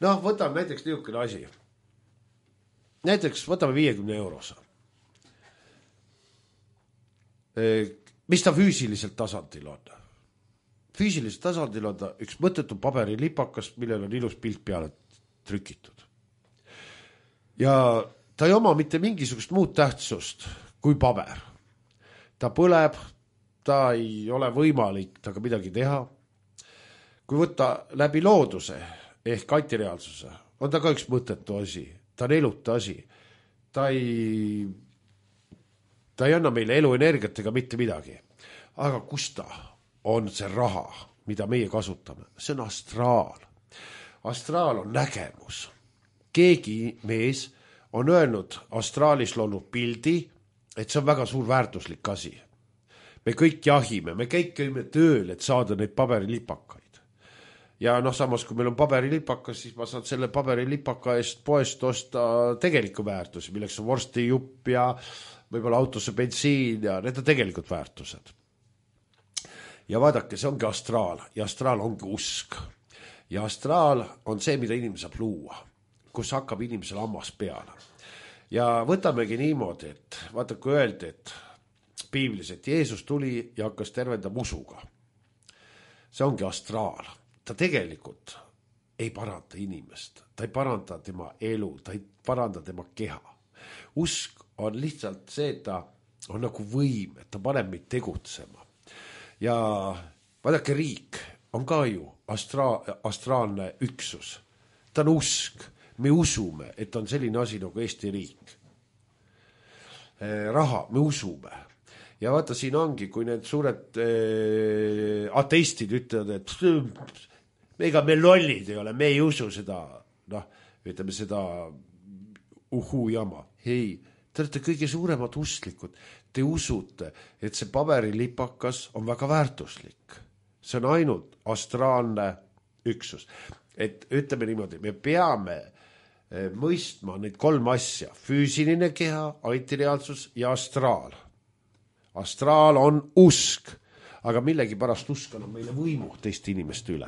Speaker 4: Võtame näiteks niisugune asi. Näiteks võtame 50 €. Mis ta füüsiliselt tasandil on? Füüsiliselt tasandil on ta üks mõttetu paberilipakas, millel on ilus pilt peale trükitud. Ja ta ei oma mitte mingisugust muud tähtsust kui paber. Ta põleb, ta ei ole võimalik taga midagi teha. Kui võtta läbi looduse ehk antireaalsuse, on ta ka üks mõttetu asi. Ta on eluta asi. Ta ei anna meile eluenergiat ega mitte midagi. Aga kus ta on see raha, mida meie kasutame? See on astraal. Astraal on nägemus. Keegi mees on öelnud astraalis loonud pildi, et see on väga suur väärtuslik asi. Me kõik jahime, me kõik käime tööl, et saada neid paberilipakaid. Ja samas, kui meil on paberilipakas, siis ma saan selle paberilipaka eest poest osta tegeliku väärtusi, milleks on vorstijupp ja võib-olla autosse bensiin ja need on tegelikult väärtused. Ja vaadake, see ongi astraal ja astraal ongi usk. Ja astraal on see, mida inimene saab luua, kus hakkab inimesel hammas peale. Ja võtamegi niimoodi, et vaata, kui öeldi, et piiblis, et Jeesus tuli ja hakkas tervendama usuga. See ongi astraal. Ta tegelikult ei paranda inimest, ta ei paranda tema elu, ta ei paranda tema keha. Usk on lihtsalt see, et ta on nagu võim, et ta paneb meid tegutsema. Ja vaadake, riik on ka ju astraalne üksus. Ta on usk. Me usume, et on selline asi nagu Eesti riik. Raha, me usume. Ja vaata, siin ongi, kui need suured ateistid ütlevad, et ega me lollid ei ole, me ei usu seda, ütleme seda jama. Ei, te olete kõige suuremad usklikud. Te usute, et see paberilipakas on väga väärtuslik. See on ainult astraalne üksus. Et ütleme niimoodi, me peame mõistma neid 3 asja. Füüsiline keha, antireaalsus ja astraal. Astraal on usk, aga millegi pärast usk on meile võimu teiste inimeste üle.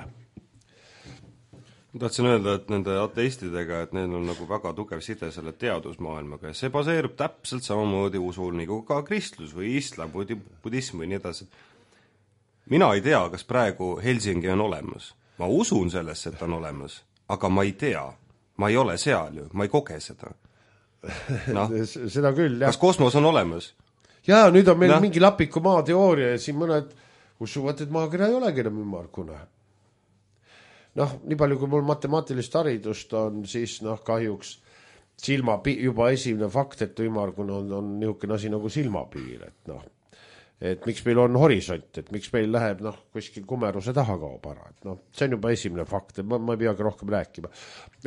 Speaker 3: Ma tahtsin öelda, et nende ateistidega, et neil on nagu väga tugev side selle teadusmaailmaga ja see baseerub täpselt samamoodi usul nagu ka kristlus või islam, budism või nii edasi. Mina ei tea, kas praegu Helsingi on olemas. Ma usun sellesse, et on olemas, aga ma ei tea. Ma ei ole seal ju, ma ei koge seda.
Speaker 4: Seda küll, jah.
Speaker 3: Kas kosmos on olemas?
Speaker 4: Jaa, nüüd on meil mingi lapiku maateooria ja siin mõned usuvad, et maakera ei olegi enam ümmargune. Nii palju, kui mul matemaatilist haridust on, siis kahjuks juba esimene fakt, et ümmargune on niisugune asi nagu silmapiir, et miks meil on horisont, et miks meil läheb kuskil kumeruse taha kaob ära, see on juba esimene fakt, et ma ei peagi rohkem rääkima.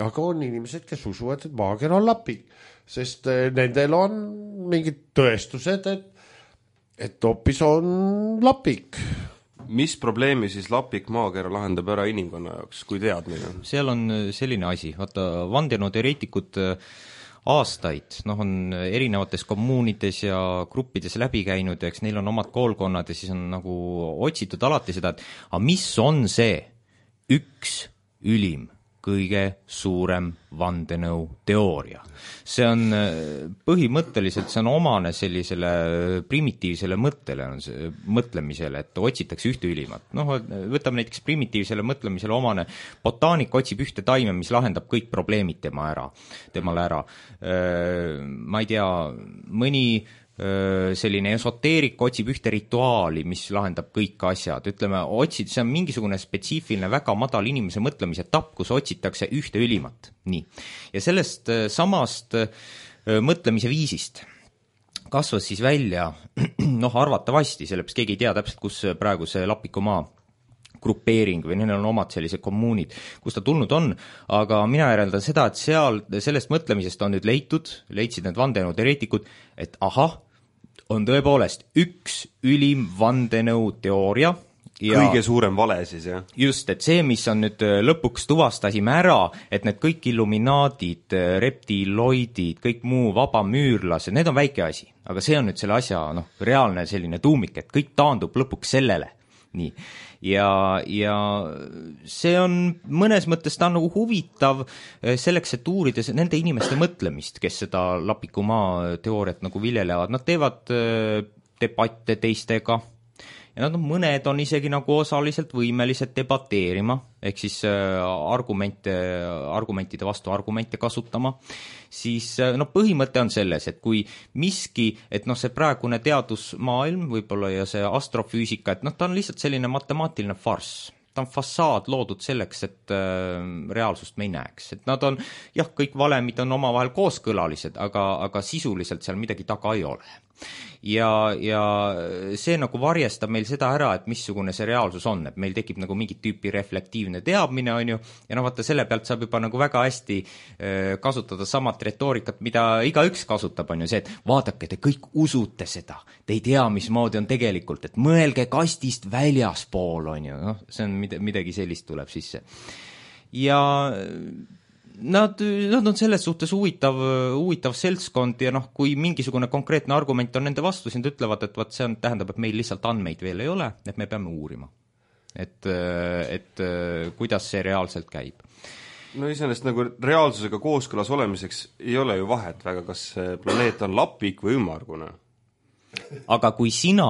Speaker 4: Aga on inimesed, kes usuvad, et maakera on lapik, sest nendel on mingid tõestused, et hoopis on lapik.
Speaker 3: Mis probleemi siis lapik maakera lahendab ära inimkonna jaoks, kui teadmine?
Speaker 2: Seal on selline asi, vaata vandenõuteoreetikud aastaid, on erinevates kommuunides ja gruppides läbi käinud ja eks neil on omad koolkonnad ja siis on nagu otsitud alati seda, et mis on see üks ülim, kõige suurem vandenõu teooria. See on põhimõtteliselt, see on omane sellisele primitiivsele mõtlemisele, et otsitakse ühte ülimat. Võtame näiteks primitiivsele mõtlemisele omane, botaanik otsib ühte taime, mis lahendab kõik probleemid temale ära. Ma ei tea, mõni selline esoteerik otsib ühte rituaali, mis lahendab kõik asjad. Ütleme, see on mingisugune spetsiifiline väga madal inimese mõtlemise etapp, kus otsitakse ühte ülimat. Nii. Ja sellest samast mõtlemise viisist kasvas siis välja, arvatavasti, sellepärast keegi ei tea täpselt, kus praegu see Lapikumaa grupeering või neil on omad sellised kommuunid, kus ta tulnud on, aga mina järeldan seda, et sellest mõtlemisest on nüüd leidsid need vandenõuteoreetikud, et on tõepoolest üks ülim vandenõuteooria ja
Speaker 3: kõige suurem vale siis, jah?
Speaker 2: Just, et see, mis on nüüd lõpuks tuvastasime ära, et need kõik illuminaadid, reptiloidid, kõik muu vabamüürlased, need on väike asi, aga see on nüüd selle asja reaalne selline tuumik, et kõik taandub lõpuks sellele. Nii. Ja see on mõnes mõttes ta on nagu huvitav selleks, et uurides nende inimeste mõtlemist, kes seda Lapikumaa teooriat nagu viljelevad. Nad teevad debatte teistega ja mõned on isegi nagu osaliselt võimelised debateerima, ehk siis argumentide vastu argumente kasutama, siis põhimõte on selles, et kui miski, et see praegune teadusmaailm võib-olla ja see astrofüüsika, et ta on lihtsalt selline matemaatiline farss. Ta on fassaad loodud selleks, et reaalsust me ei näeks. Et nad on, kõik valemid on omavahel kooskõlalised, aga sisuliselt seal midagi taga ei ole. Ja see nagu varjestab meil seda ära, et missugune see reaalsus on, et meil tekib nagu mingit tüüpi reflektiivne teadmine, on ju, ja vaata selle pealt saab juba nagu väga hästi kasutada samat retoorikat, mida igaüks kasutab, on ju see, et vaadake, te kõik usute seda, te ei tea, mismoodi on tegelikult, et mõelge kastist väljaspool, on ju, see on midagi sellist tuleb sisse. Ja nad on selles suhtes huvitav seltskond ja kui mingisugune konkreetne argument on nende vastu, siis nad ütlevad, et see tähendab, et meil lihtsalt andmeid veel ei ole, et me peame uurima. Et kuidas see reaalselt käib.
Speaker 3: Iseenesest nagu reaalsusega kooskõlas olemiseks ei ole ju vahet väga, kas see planeet on lapik või ümmargune.
Speaker 2: Aga kui sina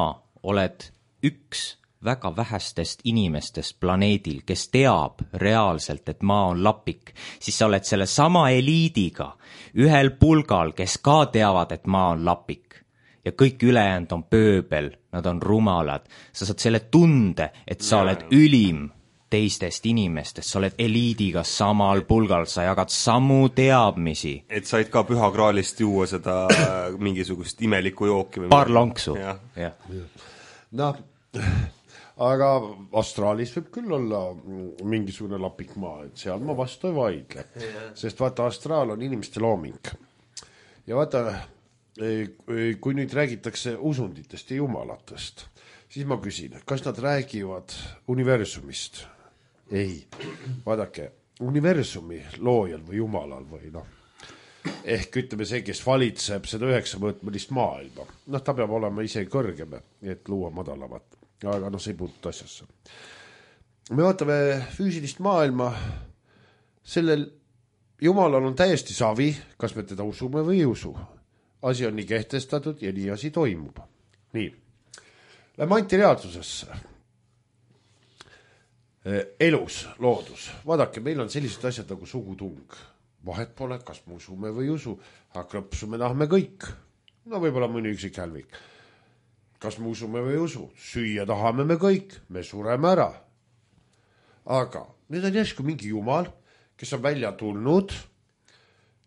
Speaker 2: oled üks väga vähestest inimestest planeedil, kes teab reaalselt, et maa on lapik, siis sa oled selle sama eliidiga ühel pulgal, kes ka teavad, et maa on lapik. Ja kõik ülejäänud on pööbel, nad on rumalad. Sa saad selle tunde, et sa oled ülim teistest inimestest, sa oled eliidiga samal pulgal, sa jagad samu teadmisi.
Speaker 3: Et said ka pühakraalist juua seda mingisugust imelikku jooki või
Speaker 2: paar lonksu.
Speaker 4: Noh, aga astraalis võib küll olla mingisugune lapik maa, et seal ma vastu ei vaidle. Sest vaata, astraal on inimeste looming. Ja vaata, kui nüüd räägitakse usunditest ja jumalatest, siis ma küsin, kas nad räägivad universumist? Ei, vaadake, universumi loojal või jumalal või ehk ütleme see, kes valitseb seda 9-mõõtmelist maailma. Ta peab olema ise kõrgem, et luua madalamat, aga see ei puuduta asjasse. Me vaatame füüsilist maailma, sellel jumalal on täiesti savi, kas me teda usume või ei usu. Asi on nii kehtestatud ja nii asi toimub. Nii, lähme antireaalsusesse. Elus, loodus. Vaadake, meil on sellised asjad nagu sugutung. Vahet pole, kas me usume või ei usu, aga krõpsu me tahame kõik. Võib-olla mõni üksik hälvik. Kas me usume või ei usu? Süüa tahame me kõik, me sureme ära. Aga nüüd on järsku mingi jumal, kes on välja tulnud,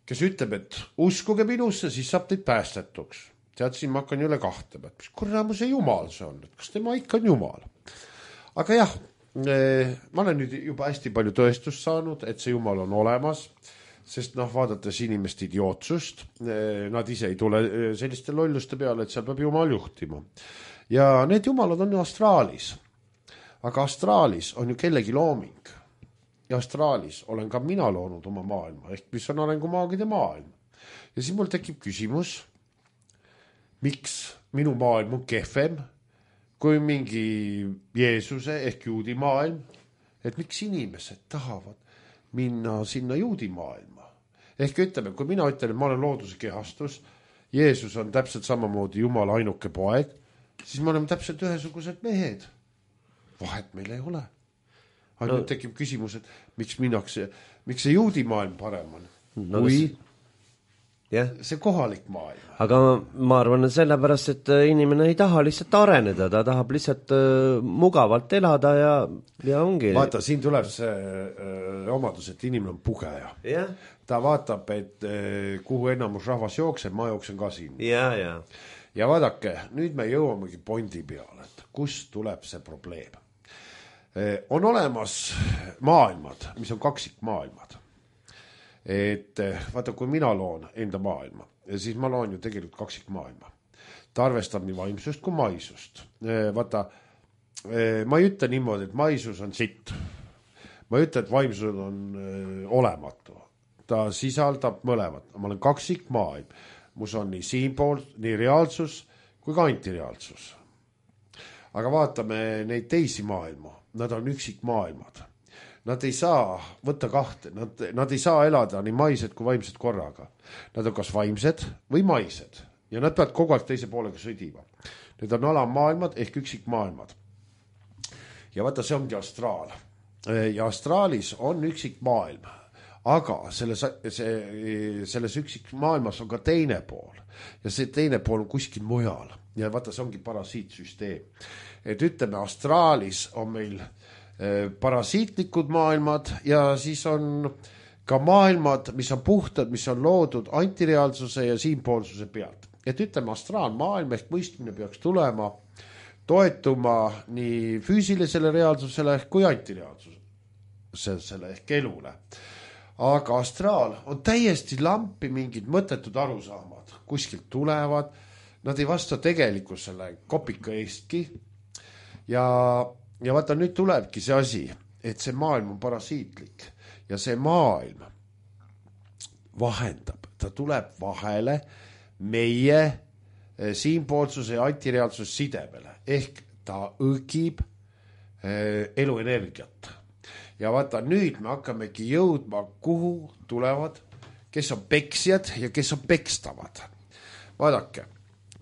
Speaker 4: kes ütleb, et uskuge minusse, siis saab teid päästetuks. Tead, siin ma hakkan üle kahtlema, et mis kurramuse jumal see on, et kas tema ikka on jumal. Aga jah, ma olen nüüd juba hästi palju tõestust saanud, et see jumal on olemas, sest vaadates inimeste idiootsust, nad ise ei tule selliste lolluste peale, et seal peab jumal juhtima. Ja need jumalad on ju astraalis. Aga astraalis on ju kellegi looming. Ja astraalis olen ka mina loonud oma maailma, ehk mis on arengumaagide maailm. Ja siis mul tekib küsimus, miks minu maailm on kehvem kui mingi Jeesuse ehk juudi maailm, et miks inimesed tahavad minna sinna juudi maailma. Ehk ütleme, kui mina ütlen, et ma olen looduse kehastus, Jeesus on täpselt samamoodi Jumala ainuke poeg, siis me oleme täpselt ühesugused mehed. Vahet meil ei ole. Aga nüüd tekib küsimus, et miks see juudi maailm parem on, kui see kohalik maailm.
Speaker 1: Aga ma arvan, et sellepärast, et inimene ei taha lihtsalt areneda, ta tahab lihtsalt mugavalt elada ja ongi.
Speaker 4: Vaata, siin tuleb see omadus, et inimene on pugeja. Ta vaatab, et kuhu enamus rahvas jookseb, ma jooksen ka siin. Ja vaadake, nüüd me jõuamegi pointi peale, et kust tuleb see probleem. On olemas maailmad, mis on kaksikmaailmad. Et vaata, kui mina loon enda maailma, siis ma loon ju tegelikult kaksikmaailma. Ta arvestab nii vaimsust kui maisust. Vaata, ma ei ütle niimoodi, et maisus on sitt. Ma ei ütle, et vaimsus on olematu. Ta sisaldab mõlemat. Ma olen kaksikmaailm. Mus on nii siinpool, nii reaalsus kui ka antireaalsus. Aga vaatame neid teisi maailma. Nad on üksikmaailmad. Nad ei saa võtta kahte, nad ei saa elada nii maised kui vaimsed korraga. Nad on kas vaimsed või maised ja nad peavad kogu aeg teise poolega sõdima. Need on alammaailmad ehk üksikmaailmad. Ja vaata, see ongi astraal. Ja astraalis on üksikmaailm, aga selles üksikmaailmas on ka teine pool ja see teine pool on kuskil mujal. Ja vaata, see ongi parasiitsüsteem. Et ütleme, astraalis on meil parasiitlikud maailmad ja siis on ka maailmad, mis on puhtad, mis on loodud antireaalsuse ja siinpoolsuse pealt. Et ütleme, astraalmaailm ehk mõistmine peaks tulema, toetuma nii füüsilisele reaalsusele kui antireaalsusele ehk elule. Aga astraal on täiesti lampi mingid mõttetud arusaamad. Kuskilt tulevad, nad ei vasta tegelikkusele kopika eestki ja vaata, nüüd tulebki see asi, et see maailm on parasiitlik ja see maailm vahendab, ta tuleb vahele meie siinpoolsuse ja antireaalsuse sidemele, ehk ta õgib eluenergiat. Ja vaata, nüüd me hakkamegi jõudma, kuhu tulevad, kes on peksjad ja kes on pekstavad. Vaadake,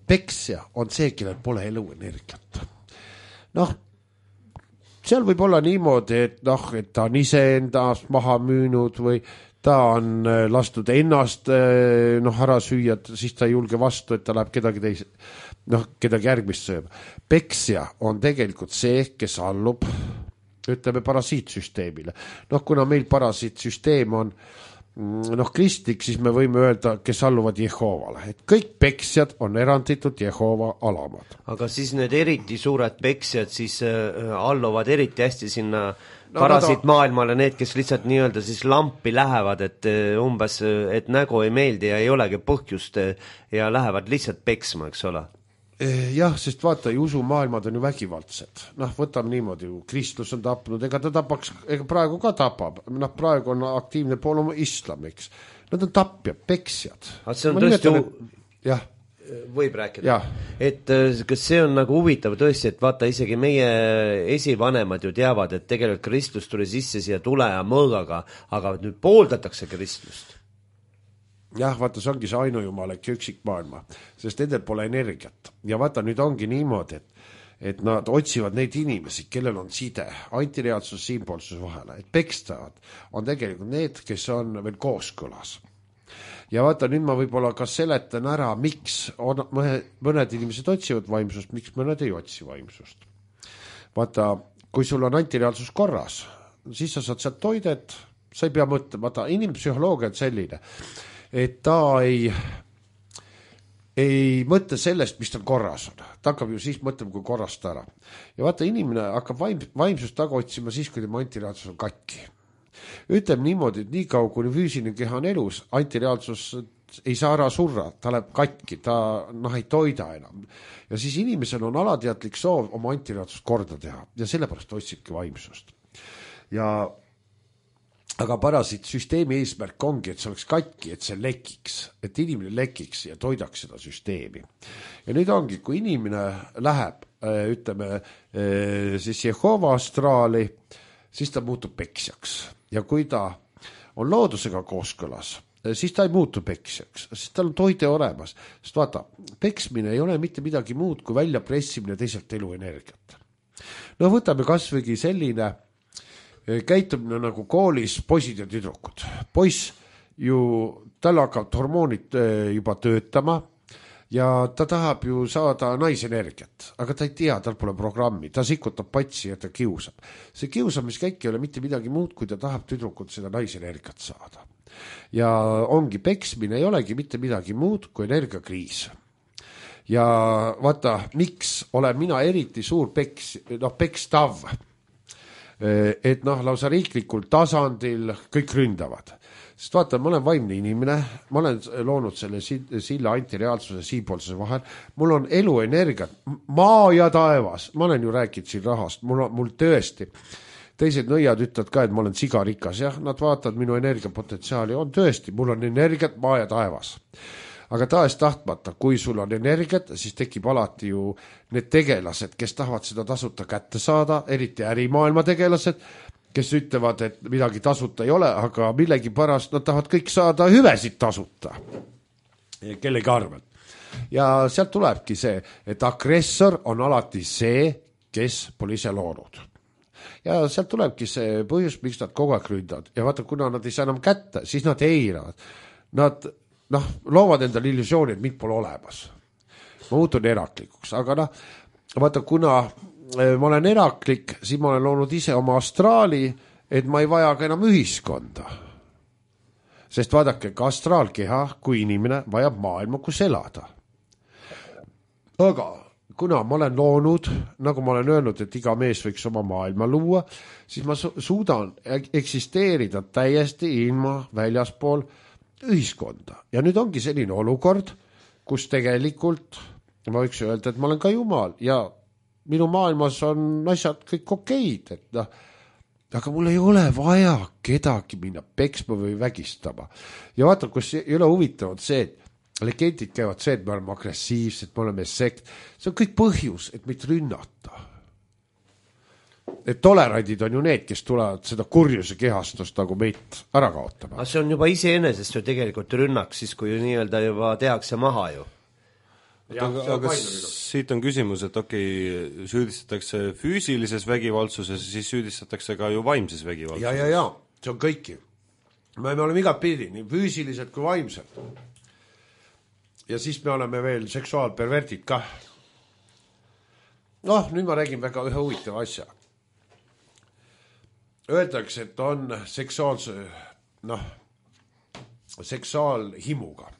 Speaker 4: peksja on see, kellel pole eluenergiat. seal võib olla niimoodi, et noh, et ta on iseendast maha müünud või ta on lastud ennast ära süüa, siis ta ei julge vastu, et ta läheb kedagi kedagi järgmist sööb. Peksja on tegelikult see, kes allub, ütleme, parasiitsüsteemile. Kuna meil parasiitsüsteem on kristlik, siis me võime öelda, kes alluvad Jehoovale. Et kõik peksjad on eranditult Jehoova alamad.
Speaker 1: Aga siis need eriti suured peksjad siis alluvad eriti hästi sinna parasiitmaailmale, need, kes lihtsalt nii-öelda siis lampi lähevad, et umbes, et nägu ei meeldi ja ei olegi põhjust ja lähevad lihtsalt peksma, eks ole?
Speaker 4: Jah, sest vaata, usumaailmad on ju vägivaldsed. Võtame niimoodi, Kristus on tapnud, ega ta tapaks, ega praegu ka tapab. Praegu on aktiivne pool oma islam, eks. Nad on tapjad, peksjad.
Speaker 1: See on tõesti
Speaker 4: jah.
Speaker 1: Võib rääkida. Et kas see on nagu huvitav tõesti, et vaata, isegi meie esivanemad ju teavad, et tegelikult Kristus tuli sisse siia tule ja mõõgaga, aga nüüd pooldatakse Kristust.
Speaker 4: Jah, vaata, see ongi see ainujumalik ja üksik maailma, sest nendel pole energiat. Ja vaata, nüüd ongi niimoodi, et nad otsivad neid inimesi, kellel on side, antireaalsus, siinpoolsus vahele, et pekstavad on tegelikult need, kes on veel kooskõlas. Ja vaata, nüüd ma võib-olla ka seletan ära, miks mõned inimesed otsivad vaimsust, miks mõned ei otsi vaimsust. Vaata, kui sul on antireaalsus korras, siis sa saad sealt toidet, sa ei pea mõtlema, vaata, inimpsühholoogia on selline, et ta ei mõtle sellest, mis tal korras on. Ta hakkab ju siis mõtlema, kui korrast ära. Ja vaata, inimene hakkab vaimsust taga otsima siis, kui tema antireaalsus on katki. Ütleme niimoodi, et nii kaua, kui füüsiline keha on elus, antireaalsus ei saa ära surra, ta läheb katki, ta ei toida enam. Ja siis inimesel on alateadlik soov oma antireaalsust korda teha ja sellepärast otsibki vaimsust. Aga parasiitsüsteemi eesmärk ongi, et see oleks katki, et see lekiks, et inimene lekiks ja toidaks seda süsteemi. Ja nüüd ongi, kui inimene läheb, ütleme, siis Jehoova astraali, siis ta muutub peksjaks. Ja kui ta on loodusega kooskõlas, siis ta ei muutu peksjaks, sest tal on toide olemas. Sest vaata, peksmine ei ole mitte midagi muud kui välja pressimine teiselt eluenergiat. Võtame kasvõigi selline käitumine nagu koolis poisid ja tüdrukud. Poiss ju, tal hakkab hormoonid juba töötama ja ta tahab ju saada naisenergiat, aga ta ei tea, tal pole programmi, ta sikutab patsi ja ta kiusab. See kiusamiskäik ei ole mitte midagi muud, kui ta tahab tüdrukult seda naisenergiat saada. Ja ongi peksmine, ei olegi mitte midagi muud kui energiakriis. Ja vaata, miks olen mina eriti suur pekstav, et lausa riiklikul tasandil kõik ründavad. Sest vaata, ma olen vaimne inimene, ma olen loonud selle silla antireaalsuse siipoolsuse vahel, mul on eluenergiat, maa ja taevas, ma olen ju rääkinud siin rahast, mul tõesti, teised nõiad ütlevad ka, et ma olen sigarikas, jah, nad vaatavad minu energiapotentsiaali, on tõesti, mul on energiat maa ja taevas. Aga tahes tahtmata, kui sul on energiat, siis tekib alati ju need tegelased, kes tahavad seda tasuta kätte saada, eriti ärimaailma tegelased, kes ütlevad, et midagi tasuta ei ole, aga millegi pärast nad tahavad kõik saada hüvesid tasuta kellegi arvelt. Ja sealt tulebki see, et agressor on alati see, kes pole ise loonud. Ja sealt tulebki see põhjus, miks nad kogu aeg ründavad. Ja vaata, kuna nad ei saa enam kätte, siis nad eiravad. Nad loovad endale illusiooni, et mind pole olemas. Ma muutun eraklikuks, aga vaata, kuna ma olen eraklik, siis ma olen loonud ise oma astraali, et ma ei vaja ka enam ühiskonda. Sest vaadake, ka astraalkeha, kui inimene vajab maailma, kus elada. Aga kuna ma olen loonud, nagu ma olen öelnud, et iga mees võiks oma maailma luua, siis ma suudan eksisteerida täiesti ilma väljaspool ühiskonda. Ja nüüd ongi selline olukord, kus tegelikult ma võiks öelda, et ma olen ka Jumal ja minu maailmas on asjad kõik okeid, et aga mul ei ole vaja kedagi minna peksma või vägistama. Ja vaata, kus ei ole huvitavad see, et legendid käivad see, et me oleme agressiivsed, me oleme sekt. See on kõik põhjus, et meid rünnata. Et tolerandid on ju need, kes tulevad seda kurjuse kehastust nagu meid ära kaotama.
Speaker 1: Aga see on juba iseenesest ju tegelikult rünnak, siis kui nii-öelda juba tehakse maha ju.
Speaker 3: aga siit on küsimus, et süüdistatakse füüsilises vägivaldsuses, siis süüdistatakse ka ju vaimses vägivaldsuses.
Speaker 4: Ja, see on kõiki. Me oleme igat pidi, nii füüsiliselt kui vaimselt. Ja siis me oleme veel seksuaalpervertid kah. Nüüd ma räägin väga ühe huvitava asja. Öeldakse, et on seksuaalhimuga.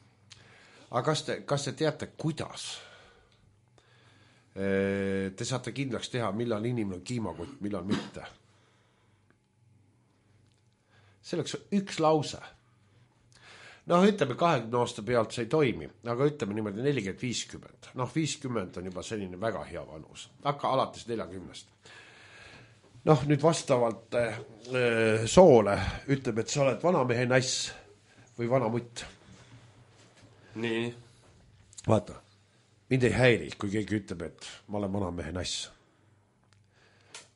Speaker 4: Aga kas te teate, kuidas? Te saate kindlaks teha, millal inimene on kiimakott, millal mitte. Selleks on üks lause. Ütleme 20 aasta pealt see ei toimi, aga ütleme niimoodi 40-50. 50 on juba selline väga hea vanus. Hakka alates 40. Nüüd vastavalt soole ütleme, et sa oled vanamehe nass või vanamutt.
Speaker 3: Nii.
Speaker 4: Vaata, mind ei häiri, kui keegi ütleb, et ma olen vanamehe nass.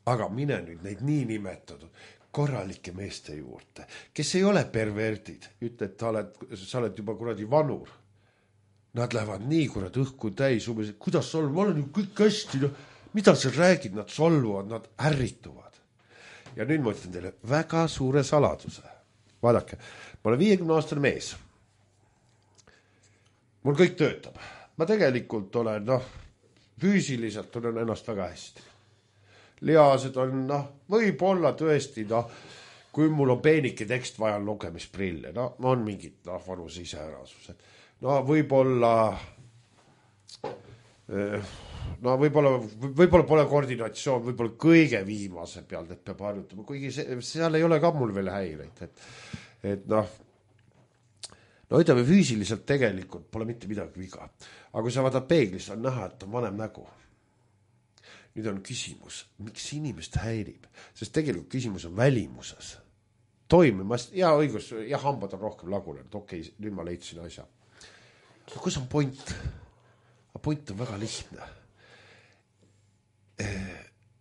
Speaker 4: Aga mine nüüd neid nii nimetatud korralike meeste juurde, kes ei ole perverdid, ütle, et sa oled juba kuradi vanur. Nad lähevad nii kurad õhku täis, umbes, et kuidas solv, ma olen ju kõik hästi, mida sa räägid, nad solvuvad, nad ärrituvad. Ja nüüd ma ütlen teile väga suure saladuse. Vaadake, ma olen 50-aastane mees. Mul kõik töötab. Ma tegelikult olen, füüsiliselt olen ennast väga hästi. Lihased on, võib-olla tõesti, kui mul on peenike tekst vaja lugemisprille, on mingid vanuse iseärasused. Võib-olla võib-olla pole koordinatsioon, võib-olla kõige viimase pealt, et peab harjutama, kuigi seal ei ole ka mul veel häireid, ütleme füüsiliselt tegelikult pole mitte midagi viga, aga kui sa vaatad peeglis, on näha, et on vanem nägu. Nüüd on küsimus, miks inimest häirib, sest tegelikult küsimus on välimuses. Toimimast, ja õigus, ja hambad on rohkem lagunenud, nüüd ma leidsin asja. Aga kus on point? Point on väga lihtne.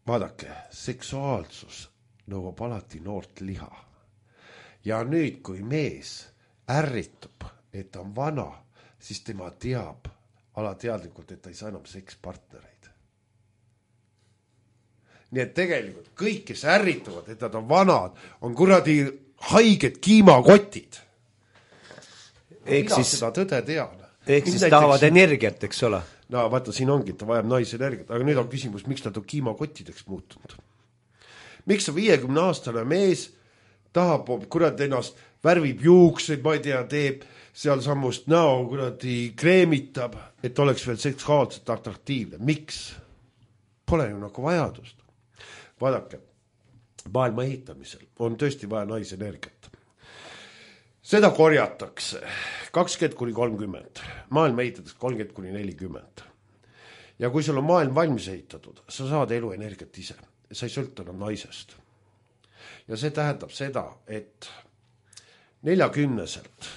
Speaker 4: Vaadake, seksuaalsus nõuab alati noort liha. Ja nüüd, kui mees ärritub, et ta on vana, siis tema teab alateadlikult, et ta ei saa enam sekspartnereid. Nii et tegelikult kõik, kes ärrituvad, et nad on vanad, on kuradi haiged kiimakotid. Mina seda tõde tean.
Speaker 1: Ehk siis tahavad energiat, eks ole?
Speaker 4: Vaata, siin ongi, et ta vajab naise energiat, aga nüüd on küsimus, miks nad on kiimakottideks muutunud. Miks on 50-aastane mees tahab kuradi ennast, värvib juukseid, ma ei tea, teeb seal sammust näo, kuradi kreemitab, et oleks veel seksuaalselt atraktiivne. Miks? Pole ju nagu vajadust. Vaadake, maailma ehitamisel on tõesti vaja naisenergiat. Seda korjatakse 20-30, maailma ehitatakse 30-40. Ja kui sul on maailm valmis ehitatud, sa saad eluenergiat ise, sa ei sõlta enam naisest. Ja see tähendab seda, et 40-selt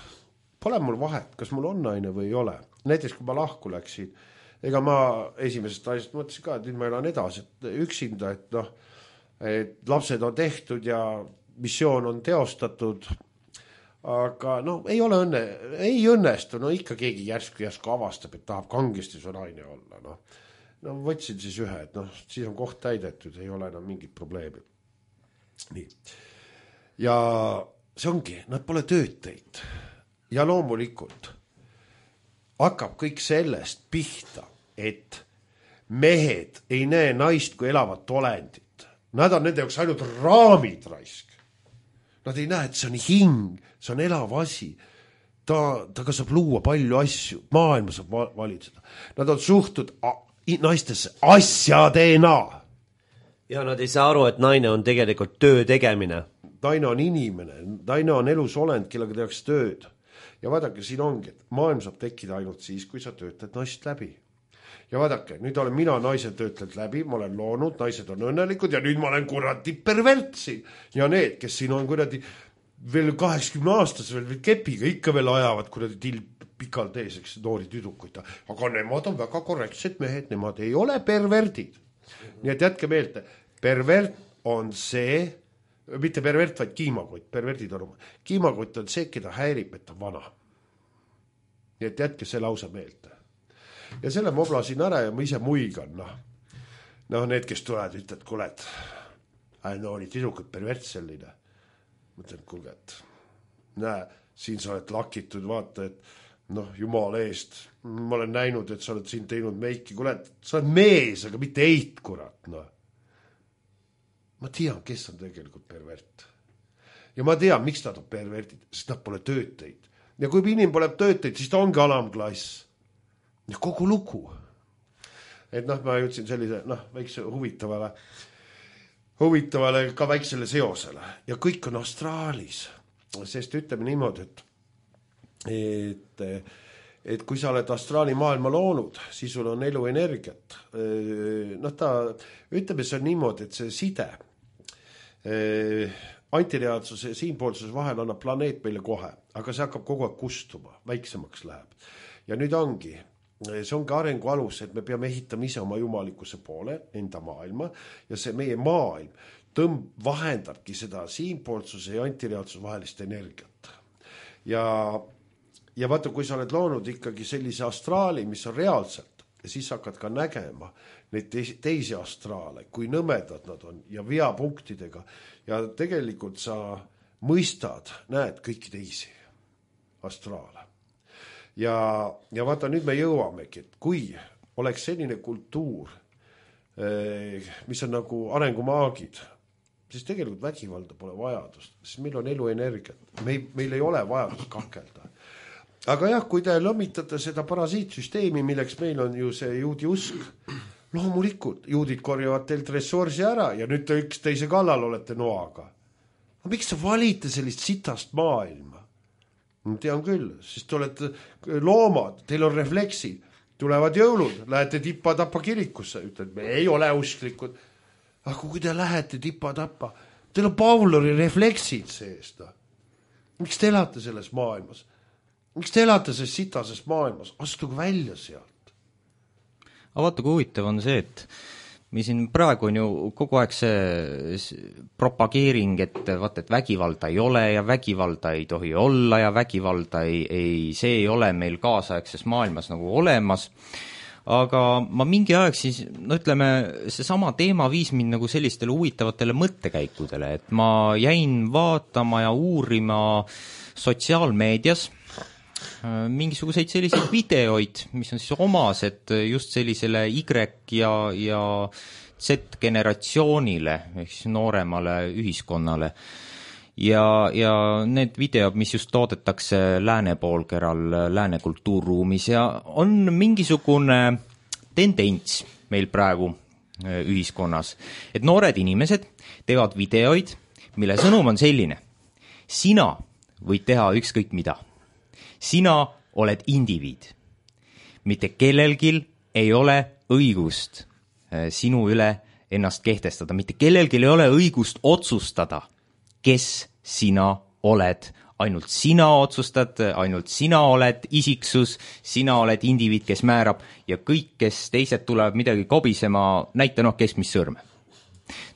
Speaker 4: pole mul vahet, kas mul on naine või ei ole. Näiteks kui ma lahku läksin, ega ma esimesest naisest mõtlesin ka, et nüüd ma elan edasi, et üksinda, et lapsed on tehtud ja missioon on teostatud, aga ei ole ei õnnestu, ikka keegi järsku avastab, et tahab kangesti su naine olla. Võtsin siis ühe, et siis on koht täidetud, ei ole enam mingit probleemi. Nii. Ja see ongi, nad pole tööd teinud. Ja loomulikult hakkab kõik sellest pihta, et mehed ei näe naist kui elavat olendit. Nad on nende jaoks ainult raamid raisk. Nad ei näe, et see on hing, see on elav asi. Ta saab luua palju asju, maailma saab valitseda. Nad on suhtud naistesse asjadena.
Speaker 1: Ja nad ei saa aru, et naine on tegelikult töö tegemine.
Speaker 4: Naine on inimene, naine on elus olend, kellega tehakse tööd. Ja vaadake, siin ongi, et maailm saab tekkida ainult siis, kui sa töötled naist läbi. Ja vaadake, nüüd olen mina naised töötled läbi, ma olen loonud, naised on õnnelikud ja nüüd ma olen kuradi pervertsi. Ja need, kes siin on kuradi veel 80 aastas veel kepiga, ikka veel ajavad kuradi pikalt eeseks noori tüdukuid. Aga nemad on väga korrektsed mehed, nemad ei ole perverdid. Nii et jätke meelde, pervert on see, mitte pervert, vaid kiimakott, perverdid on. Kiimakott on see, keda häirib, et on vana. Nii et jätke see lause meelde. ja selle ma oblasin ära ja ma ise muigan, noh, need, kes tulevad, ütled, kuule, et no oli tüdrukud pervert selline. Mõtlen, kuule, et näe, siin sa oled lakitud, vaata, et noh, jumala eest, ma olen näinud, et sa oled siin teinud meiki, kuule, et sa oled mees, aga mitte eit, kurat, noh. Ma tean, kes on tegelikult pervert. Ja ma tean, miks nad on pervertid, sest nad pole tööteid. Ja kui inimene pole tööteid, siis ta ongi alamklass. Ja kogu lugu. Et noh, ma jõudsin sellise, väikse huvitavale ka väiksele seosele. Ja kõik on astraalis. Sest ütleme niimoodi, et kui sa oled astraali maailma loonud, siis sul on eluenergiat. Ütleme, see on niimoodi, et see side antireaalsuse ja siinpoolsuse vahel annab planeet meile kohe, aga see hakkab kogu aeg kustuma, väiksemaks läheb. Ja nüüd ongi, see ongi arengu alus, et me peame ehitama ise oma jumalikkuse poole, enda maailma, ja see meie maailm vahendabki seda siinpoolsuse ja antireaalsuse vahelist energiat. Ja vaata, kui sa oled loonud ikkagi sellise astraali, mis on reaalselt, ja siis hakkad ka nägema neid teisi astraale, kui nõmedad nad on ja veapunktidega ja tegelikult sa mõistad, näed kõiki teisi astraale. Ja vaata, nüüd me jõuamegi, et kui oleks selline kultuur, mis on nagu arengumaagid, siis tegelikult vägivalda pole vajadust, sest meil on eluenergiat, meil ei ole vajadust kakelda. Aga jah, kui te lõmitate seda parasiitsüsteemi, milleks meil on ju see juudi usk, loomulikult juudid korjavad teilt ressursi ära ja nüüd te üksteise kallal olete noaga. No miks te valite sellist sitast maailma? Ma tean küll, sest te olete loomad, teil on refleksid, tulevad jõulud, lähete tippa-tappa kirikusse, ütled, me ei ole usklikud. Aga kui te lähete tippa-tappa, teil on Pavlovi refleksid seest. Miks te elate selles maailmas? Miks te elate selles sitases maailmas? Astuge välja sealt.
Speaker 2: Aga vaata, kui huvitav on see, et me siin praegu on ju kogu aeg see propageering, et vaata, et vägivalda ei ole ja vägivalda ei tohi olla ja vägivalda see ei ole meil kaasaegses maailmas nagu olemas. Aga ma mingi aeg siis, ütleme, see sama teema viis mind nagu sellistele huvitavatele mõttekäikudele, et ma jäin vaatama ja uurima sotsiaalmeedias mingisuguseid selliseid videoid, mis on siis omased just sellisele Y- ja Z-generatsioonile, ehk siis nooremale ühiskonnale. Ja need videod, mis just toodetakse lääne poolkeral, lääne kultuurruumis ja on mingisugune tendents meil praegu ühiskonnas, et noored inimesed teevad videoid, mille sõnum on selline. Sina võid teha ükskõik mida. Sina oled indiviid. Mitte kellelgi ei ole õigust sinu üle ennast kehtestada. Mitte kellelgi ei ole õigust otsustada, kes sina oled. Ainult sina otsustad, ainult sina oled isiksus, sina oled indiviid, kes määrab ja kõik, kes teised tulevad midagi kobisema, näita kes mis sõrme.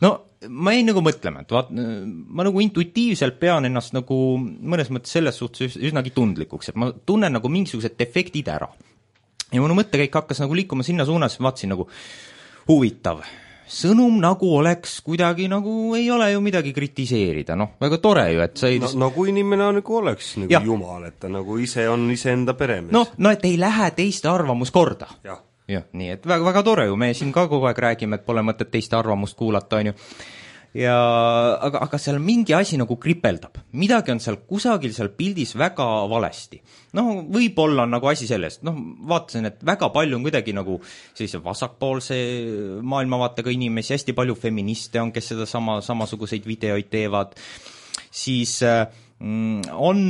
Speaker 2: No, ma jäin nagu mõtlema, et ma nagu intuitiivselt pean ennast nagu mõnes mõttes selles suhtes üsnagi tundlikuks, et ma tunnen nagu mingisugused defektid ära. Ja minu mõttekäik hakkas nagu liikuma sinna suunas, vaatasin nagu huvitav. Sõnum nagu oleks kuidagi nagu ei ole ju midagi kritiseerida, väga tore ju, et sa ei...
Speaker 3: No kui inimene nagu oleks nagu jumal, et ta nagu ise on iseenda peremees.
Speaker 2: No, et ei lähe teiste arvamus korda. Jah, nii, et väga, väga tore ju, me siin ka kogu aeg räägime, et pole mõtet teiste arvamust kuulata, on ju. Ja, aga seal mingi asi nagu kripeldab. Midagi on seal kusagil seal pildis väga valesti. Võib-olla on nagu asi sellest. Vaatasin, et väga palju on kuidagi nagu sellise vasakpoolse maailmavaatega inimesi, hästi palju feministe on, kes seda samasuguseid videoid teevad. Siis on,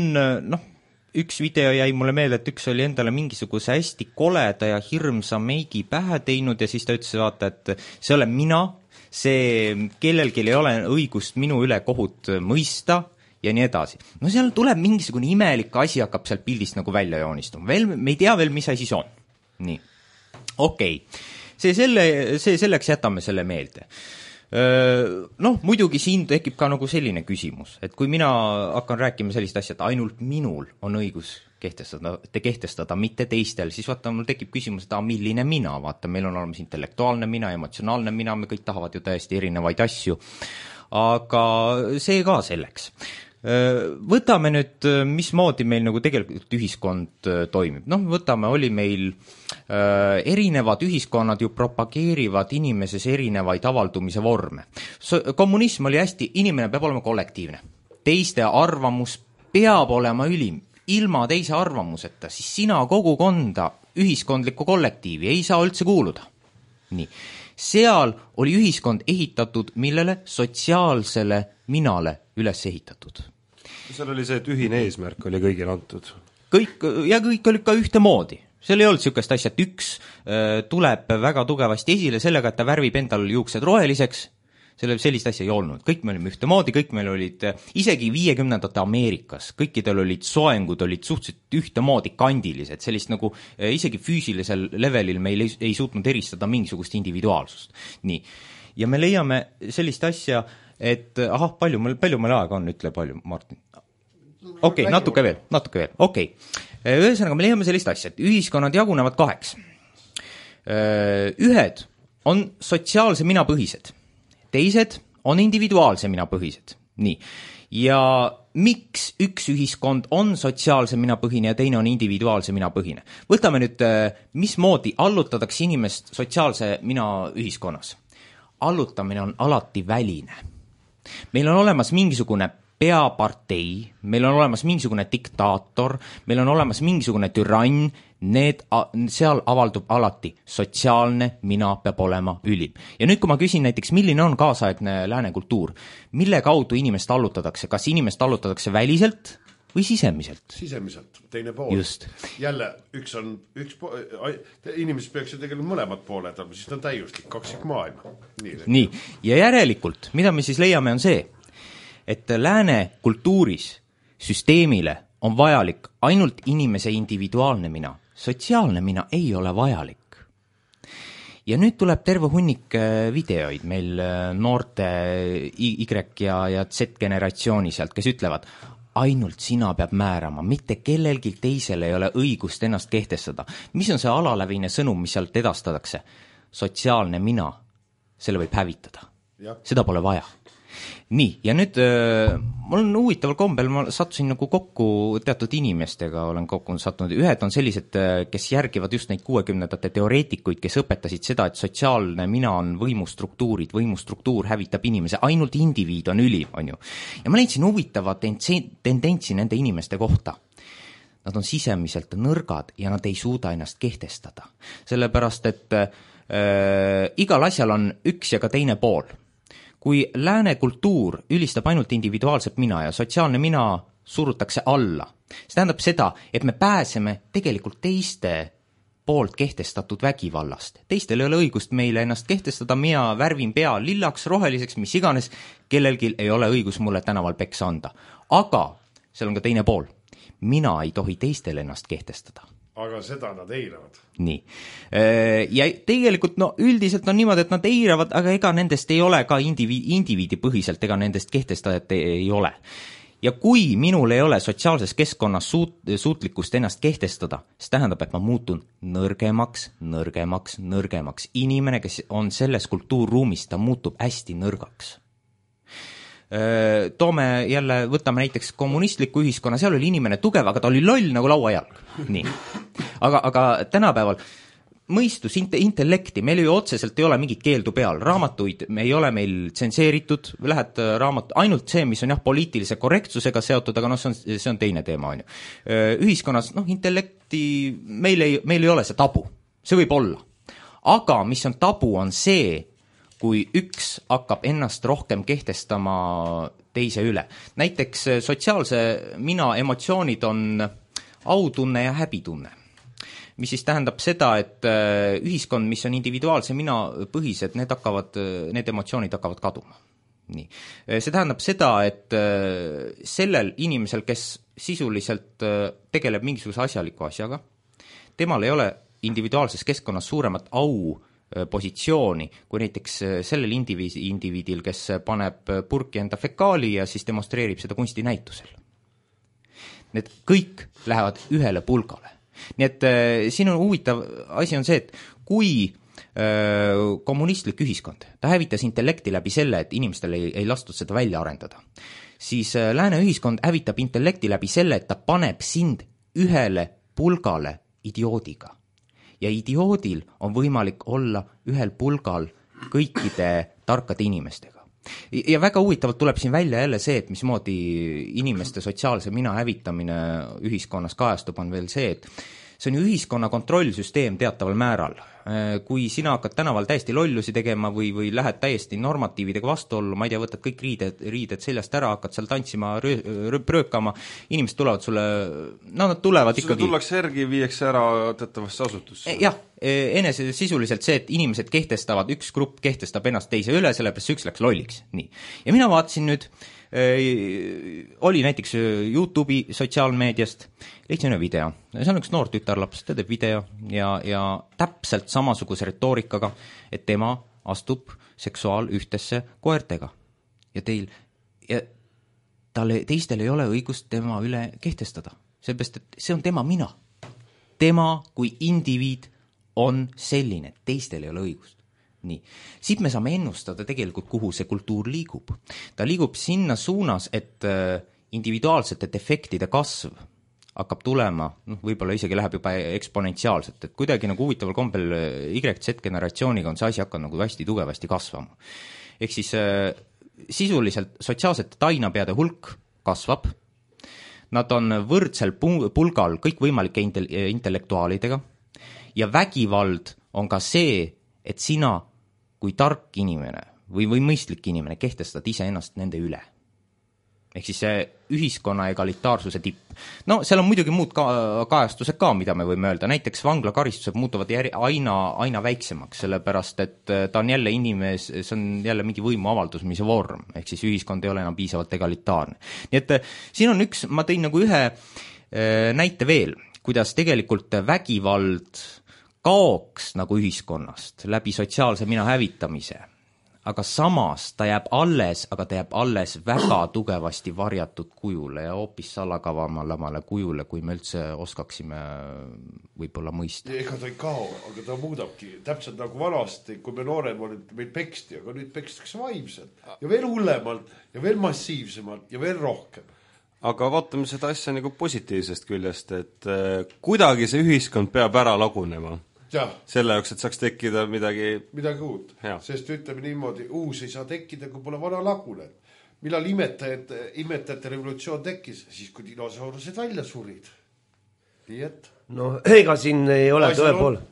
Speaker 2: üks video jäi mulle meelde, et üks oli endale mingisuguse hästi koleda ja hirmsa meigi pähe teinud ja siis ta ütles, vaata, et see olen mina, see kellelgi ei ole õigust minu üle kohut mõista ja nii edasi. Seal tuleb mingisugune imelik asi, hakkab sealt pildist nagu välja joonistuma. Me ei tea veel, mis asi see on. Nii. Okei. See selleks jätame selle meelde. Muidugi siin tekib ka nagu selline küsimus, et kui mina hakkan rääkima sellist asja, et ainult minul on õigus kehtestada, mitte teistel, siis vaata, mul tekib küsimus, et milline mina, vaata, meil on olemas intellektuaalne mina, emotsionaalne mina, me kõik tahavad ju täiesti erinevaid asju, aga see ka selleks. Võtame nüüd, mismoodi meil nagu tegelikult ühiskond toimib. Noh, võtame, oli meil erinevad ühiskonnad ju propageerivad inimeses erinevaid avaldumise vorme. Kommunism oli hästi, inimene peab olema kollektiivne. Teiste arvamus peab olema ülim. Ilma teise arvamuseta, siis sina kogukonda, ühiskondlikku kollektiivi ei saa üldse kuuluda. Nii. Seal oli ühiskond ehitatud, millele sotsiaalsele minale üles ehitatud.
Speaker 3: seal oli see, et ühine eesmärk oli kõigil antud.
Speaker 2: Kõik oli ka ühtemoodi. Seal ei olnud niisugust asja, et üks tuleb väga tugevasti esile sellega, et ta värvib endal juuksed roheliseks, sellist asja ei olnud. Kõik me olime ühtemoodi, kõik meil olid, isegi 50ndate Ameerikas, kõikidel olid soengud, olid suhteliselt ühtemoodi kandilised, sellist nagu isegi füüsilisel levelil meil ei suutnud eristada mingisugust individuaalsust. Nii. Ja me leiame sellist asja, et palju meil aega on, ütle palju, Martin. Okei, natuke veel, okei. Ühesõnaga, me leiame sellist asja, et ühiskonnad jagunevad kaheks. Ühed on sotsiaalse mina põhised, teised on individuaalse mina põhised. Nii. Ja miks üks ühiskond on sotsiaalse mina põhine ja teine on individuaalse mina põhine? Võtame nüüd, mismoodi allutatakse inimest sotsiaalse mina ühiskonnas. Allutamine on alati väline. Meil on olemas mingisugune peapartei, meil on olemas mingisugune diktaator, meil on olemas mingisugune türann, seal avaldub alati sotsiaalne mina peab olema ülim. Ja nüüd, kui ma küsin näiteks, milline on kaasaegne lääne kultuur, mille kaudu inimest allutatakse, kas inimest allutatakse väliselt või sisemiselt?
Speaker 4: Sisemiselt, teine pool.
Speaker 2: Just.
Speaker 4: Jälle, inimesed peaks ju tegelikult mõlemad pooled, siis ta on täiuslik, kaksik maailma.
Speaker 2: Nii, ja järelikult, mida me siis leiame on see, et lääne kultuuris süsteemile on vajalik ainult inimese individuaalne mina. Sotsiaalne mina ei ole vajalik. Ja nüüd tuleb terve hunnik videoid meil noorte Y ja Z-generatsiooni sealt, kes ütlevad, ainult sina peab määrama, mitte kellelgi teisel ei ole õigust ennast kehtestada. Mis on see alalävine sõnum, mis sealt edastatakse? Sotsiaalne mina, selle võib hävitada. Seda pole vaja. Nii, ja nüüd mul on huvitaval kombel, ma sattusin nagu kokku teatud inimestega, olen kokku sattunud, ühed on sellised, kes järgivad just neid 60ndate teoreetikuid, kes õpetasid seda, et sotsiaalne mina on võimustruktuurid, võimustruktuur hävitab inimese, ainult indiviid on ülim, on ju. Ja ma leidsin huvitava tendentsi nende inimeste kohta. Nad on sisemiselt nõrgad ja nad ei suuda ennast kehtestada. Sellepärast, et igal asjal on üks ja ka teine pool. Kui lääne kultuur ülistab ainult individuaalset mina ja sotsiaalne mina surutakse alla, see tähendab seda, et me pääseme tegelikult teiste poolt kehtestatud vägivallast. Teistel ei ole õigust meile ennast kehtestada, mina värvin pea lillaks, roheliseks, mis iganes, kellelgi ei ole õigus mulle tänaval peksa anda. Aga seal on ka teine pool. Mina ei tohi teistel ennast kehtestada.
Speaker 4: Aga seda nad eiravad.
Speaker 2: Nii. Ja tegelikult üldiselt on niimoodi, et nad eiravad, aga ega nendest ei ole ka indiviidi põhiselt, ega nendest kehtestajat ei ole. Ja kui minul ei ole sotsiaalses keskkonnas suutlikkust ennast kehtestada, see tähendab, et ma muutun nõrgemaks. Inimene, kes on selles kultuurruumis, ta muutub hästi nõrgaks. Võtame näiteks kommunistliku ühiskonna, seal oli inimene tugev, aga ta oli loll nagu lauajalg. Nii. Aga tänapäeval mõistus, intellekti, meil ju otseselt ei ole mingit keeldu peal, raamatuid ei ole meil tsenseeritud, lähed ainult see, mis on poliitilise korrektsusega seotud, aga see on teine teema, on ju. Ühiskonnas, intellekti, meil ei ole see tabu, see võib olla. Aga mis on tabu, on see, kui üks hakkab ennast rohkem kehtestama teise üle. Näiteks sotsiaalse mina emotsioonid on autunne ja häbitunne, mis siis tähendab seda, et ühiskond, mis on individuaalse mina põhised, need emotsioonid hakkavad kaduma. Nii. See tähendab seda, et sellel inimesel, kes sisuliselt tegeleb mingisuguse asjaliku asjaga, temal ei ole individuaalses keskkonnas suuremat positsiooni, kui näiteks sellel indiviidil, kes paneb purki enda fekaali ja siis demonstreerib seda kunstinäitusel. need kõik lähevad ühele pulgale. Nii et siin on huvitav asi on see, et kui kommunistlik ühiskond, ta hävitas intellekti läbi selle, et inimestel ei lastud seda välja arendada, siis lääne ühiskond hävitab intellekti läbi selle, et ta paneb sind ühele pulgale idioodiga. Ja idioodil on võimalik olla ühel pulgal kõikide tarkade inimestega. Ja väga huvitavalt tuleb siin välja jälle see, et mismoodi inimeste sotsiaalse mina hävitamine ühiskonnas kajastub, on veel see, et see on ju ühiskonna kontrollsüsteem teataval määral. Kui sina hakkad tänaval täiesti lollusi tegema või lähed täiesti normatiividega vastuollu, ma ei tea, võtad kõik riided seljast ära, hakkad seal tantsima, pröökama, inimesed tulevad sulle, nad tulevad ikkagi...
Speaker 3: Sulle tullakse järgi, viiakse ära teatavasse asutusse.
Speaker 2: Jah, enese sisuliselt see, et inimesed kehtestavad, üks grupp kehtestab ennast teise üle, sellepärast üks läks lolliks. Nii. Ja mina vaatasin nüüd, oli näiteks YouTube'i sotsiaalmeediast, leidsin ühe video. See on üks noor tütarlaps, ta teeb video ja täpselt samasuguse retoorikaga, et tema astub seksuaalühtesse koertega. Ja teistel ei ole õigust tema üle kehtestada. Sellepärast, et see on tema mina. Tema kui indiviid on selline, teistel ei ole õigust. Nii. Siit me saame ennustada tegelikult, kuhu see kultuur liigub. Ta liigub sinna suunas, et individuaalsete defektide kasv hakkab tulema, võib-olla isegi läheb juba eksponentsiaalselt, et kuidagi nagu huvitaval kombel Y-Z-generatsiooniga on see asi hakanud nagu hästi tugevasti kasvama. Ehk siis sisuliselt sotsiaalsete tainapeade hulk kasvab, nad on võrdsel pulgal kõikvõimalike intellektuaalidega ja vägivald on ka see, et sina kui tark inimene või mõistlik inimene kehtestad ise ennast nende üle. Ehk siis see ühiskonna egalitaarsuse tipp. No seal on muidugi muud kajastused ka, mida me võime öelda. Näiteks vanglakaristused muutuvad aina väiksemaks, sellepärast et ta on jälle see on jälle mingi võimuavaldusmise vorm, ehk siis ühiskond ei ole enam piisavalt egalitaarne. Nii et siin on ma tõin nagu ühe näite veel, kuidas tegelikult vägivald kaoks nagu ühiskonnast läbi sotsiaalse mina hävitamise, aga samas ta jääb alles väga tugevasti varjatud kujule ja hoopis salakavamale kujule, kui me üldse oskaksime võib-olla mõista.
Speaker 4: Ega ta ei kao, aga ta muudabki täpselt nagu vanasti, kui me noorem olid, meil peksti, aga nüüd pekstakse vaimselt ja veel hullemalt ja veel massiivsemalt ja veel rohkem.
Speaker 3: Aga vaatame seda asja nagu positiivsest küljest, et kuidagi see ühiskond peab ära lagunema. Ja. Selle jaoks, et saaks tekkida midagi
Speaker 4: uut. Sest ütleme niimoodi, uus ei saa tekkida, kui pole vana lagunenud. Millal imetajate revolutsioon tekkis? Siis, kui dinosaurused välja surid. Nii et...
Speaker 1: No ega siin ei ole tõepoolest.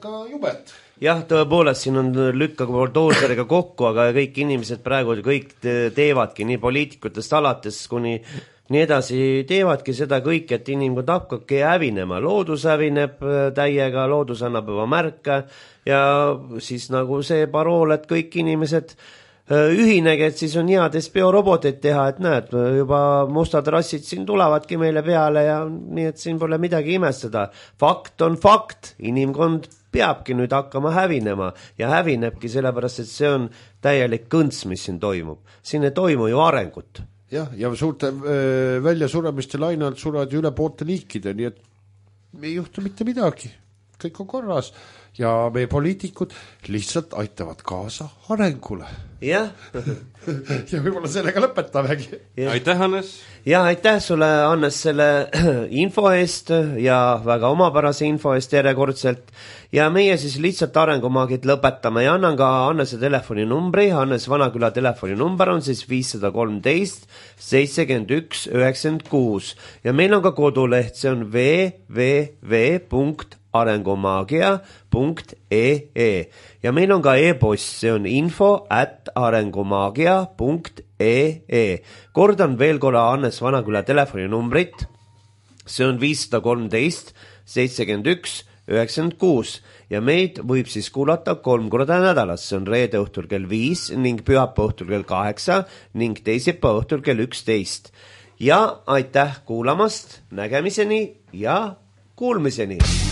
Speaker 4: Ka jubet.
Speaker 1: Jah, tõepoolest siin on lükka dooseriga kokku, aga kõik inimesed praegu kõik teevadki nii poliitikutest alates kuni nii edasi teevadki seda kõik, et inimkond hakkabki hävinema. Loodus hävineb täiega, loodus annab juba märke ja siis nagu see parool, et kõik inimesed ühinege, et siis on heades bioroboteid teha, et näed, juba mustad rassid siin tulevadki meile peale ja nii, et siin pole midagi imestada. Fakt on fakt, inimkond peabki nüüd hakkama hävinema ja hävinebki sellepärast, et see on täielik kõnts, mis siin toimub. Siin ei toimu ju arengut.
Speaker 4: Jah, ja suurte väljasuremiste lainalt surevad üle poolte liikide, nii et ei juhtu mitte midagi. Kõik on korras ja meie poliitikud lihtsalt aitavad kaasa arengule.
Speaker 1: Jah.
Speaker 4: Ja võib-olla sellega lõpetamegi.
Speaker 3: Ja. Aitäh, Hannes!
Speaker 1: Ja aitäh sulle, Hannes, selle info eest ja väga omapärase info eest järjekordselt. Ja meie siis lihtsalt arengumaagid lõpetame ja annan ka Hannese telefoninumbri. Hannes Vanaküla telefoninumber on siis 513 71 96 ja meil on ka koduleht, see on www.arengumagia.ee ja meil on ka e-post, see on info@arengumagia.ee. Kordan veel korra Hannes Vanaküla telefoninumbrit, see on 513 71 96 ja meid võib siis kuulata 3 korda nädalas, see on reede õhtul kell 5 ning pühapäeva õhtul kell 8 ning teisipäeva õhtul kell 11. Ja aitäh kuulamast, nägemiseni ja kuulmiseni!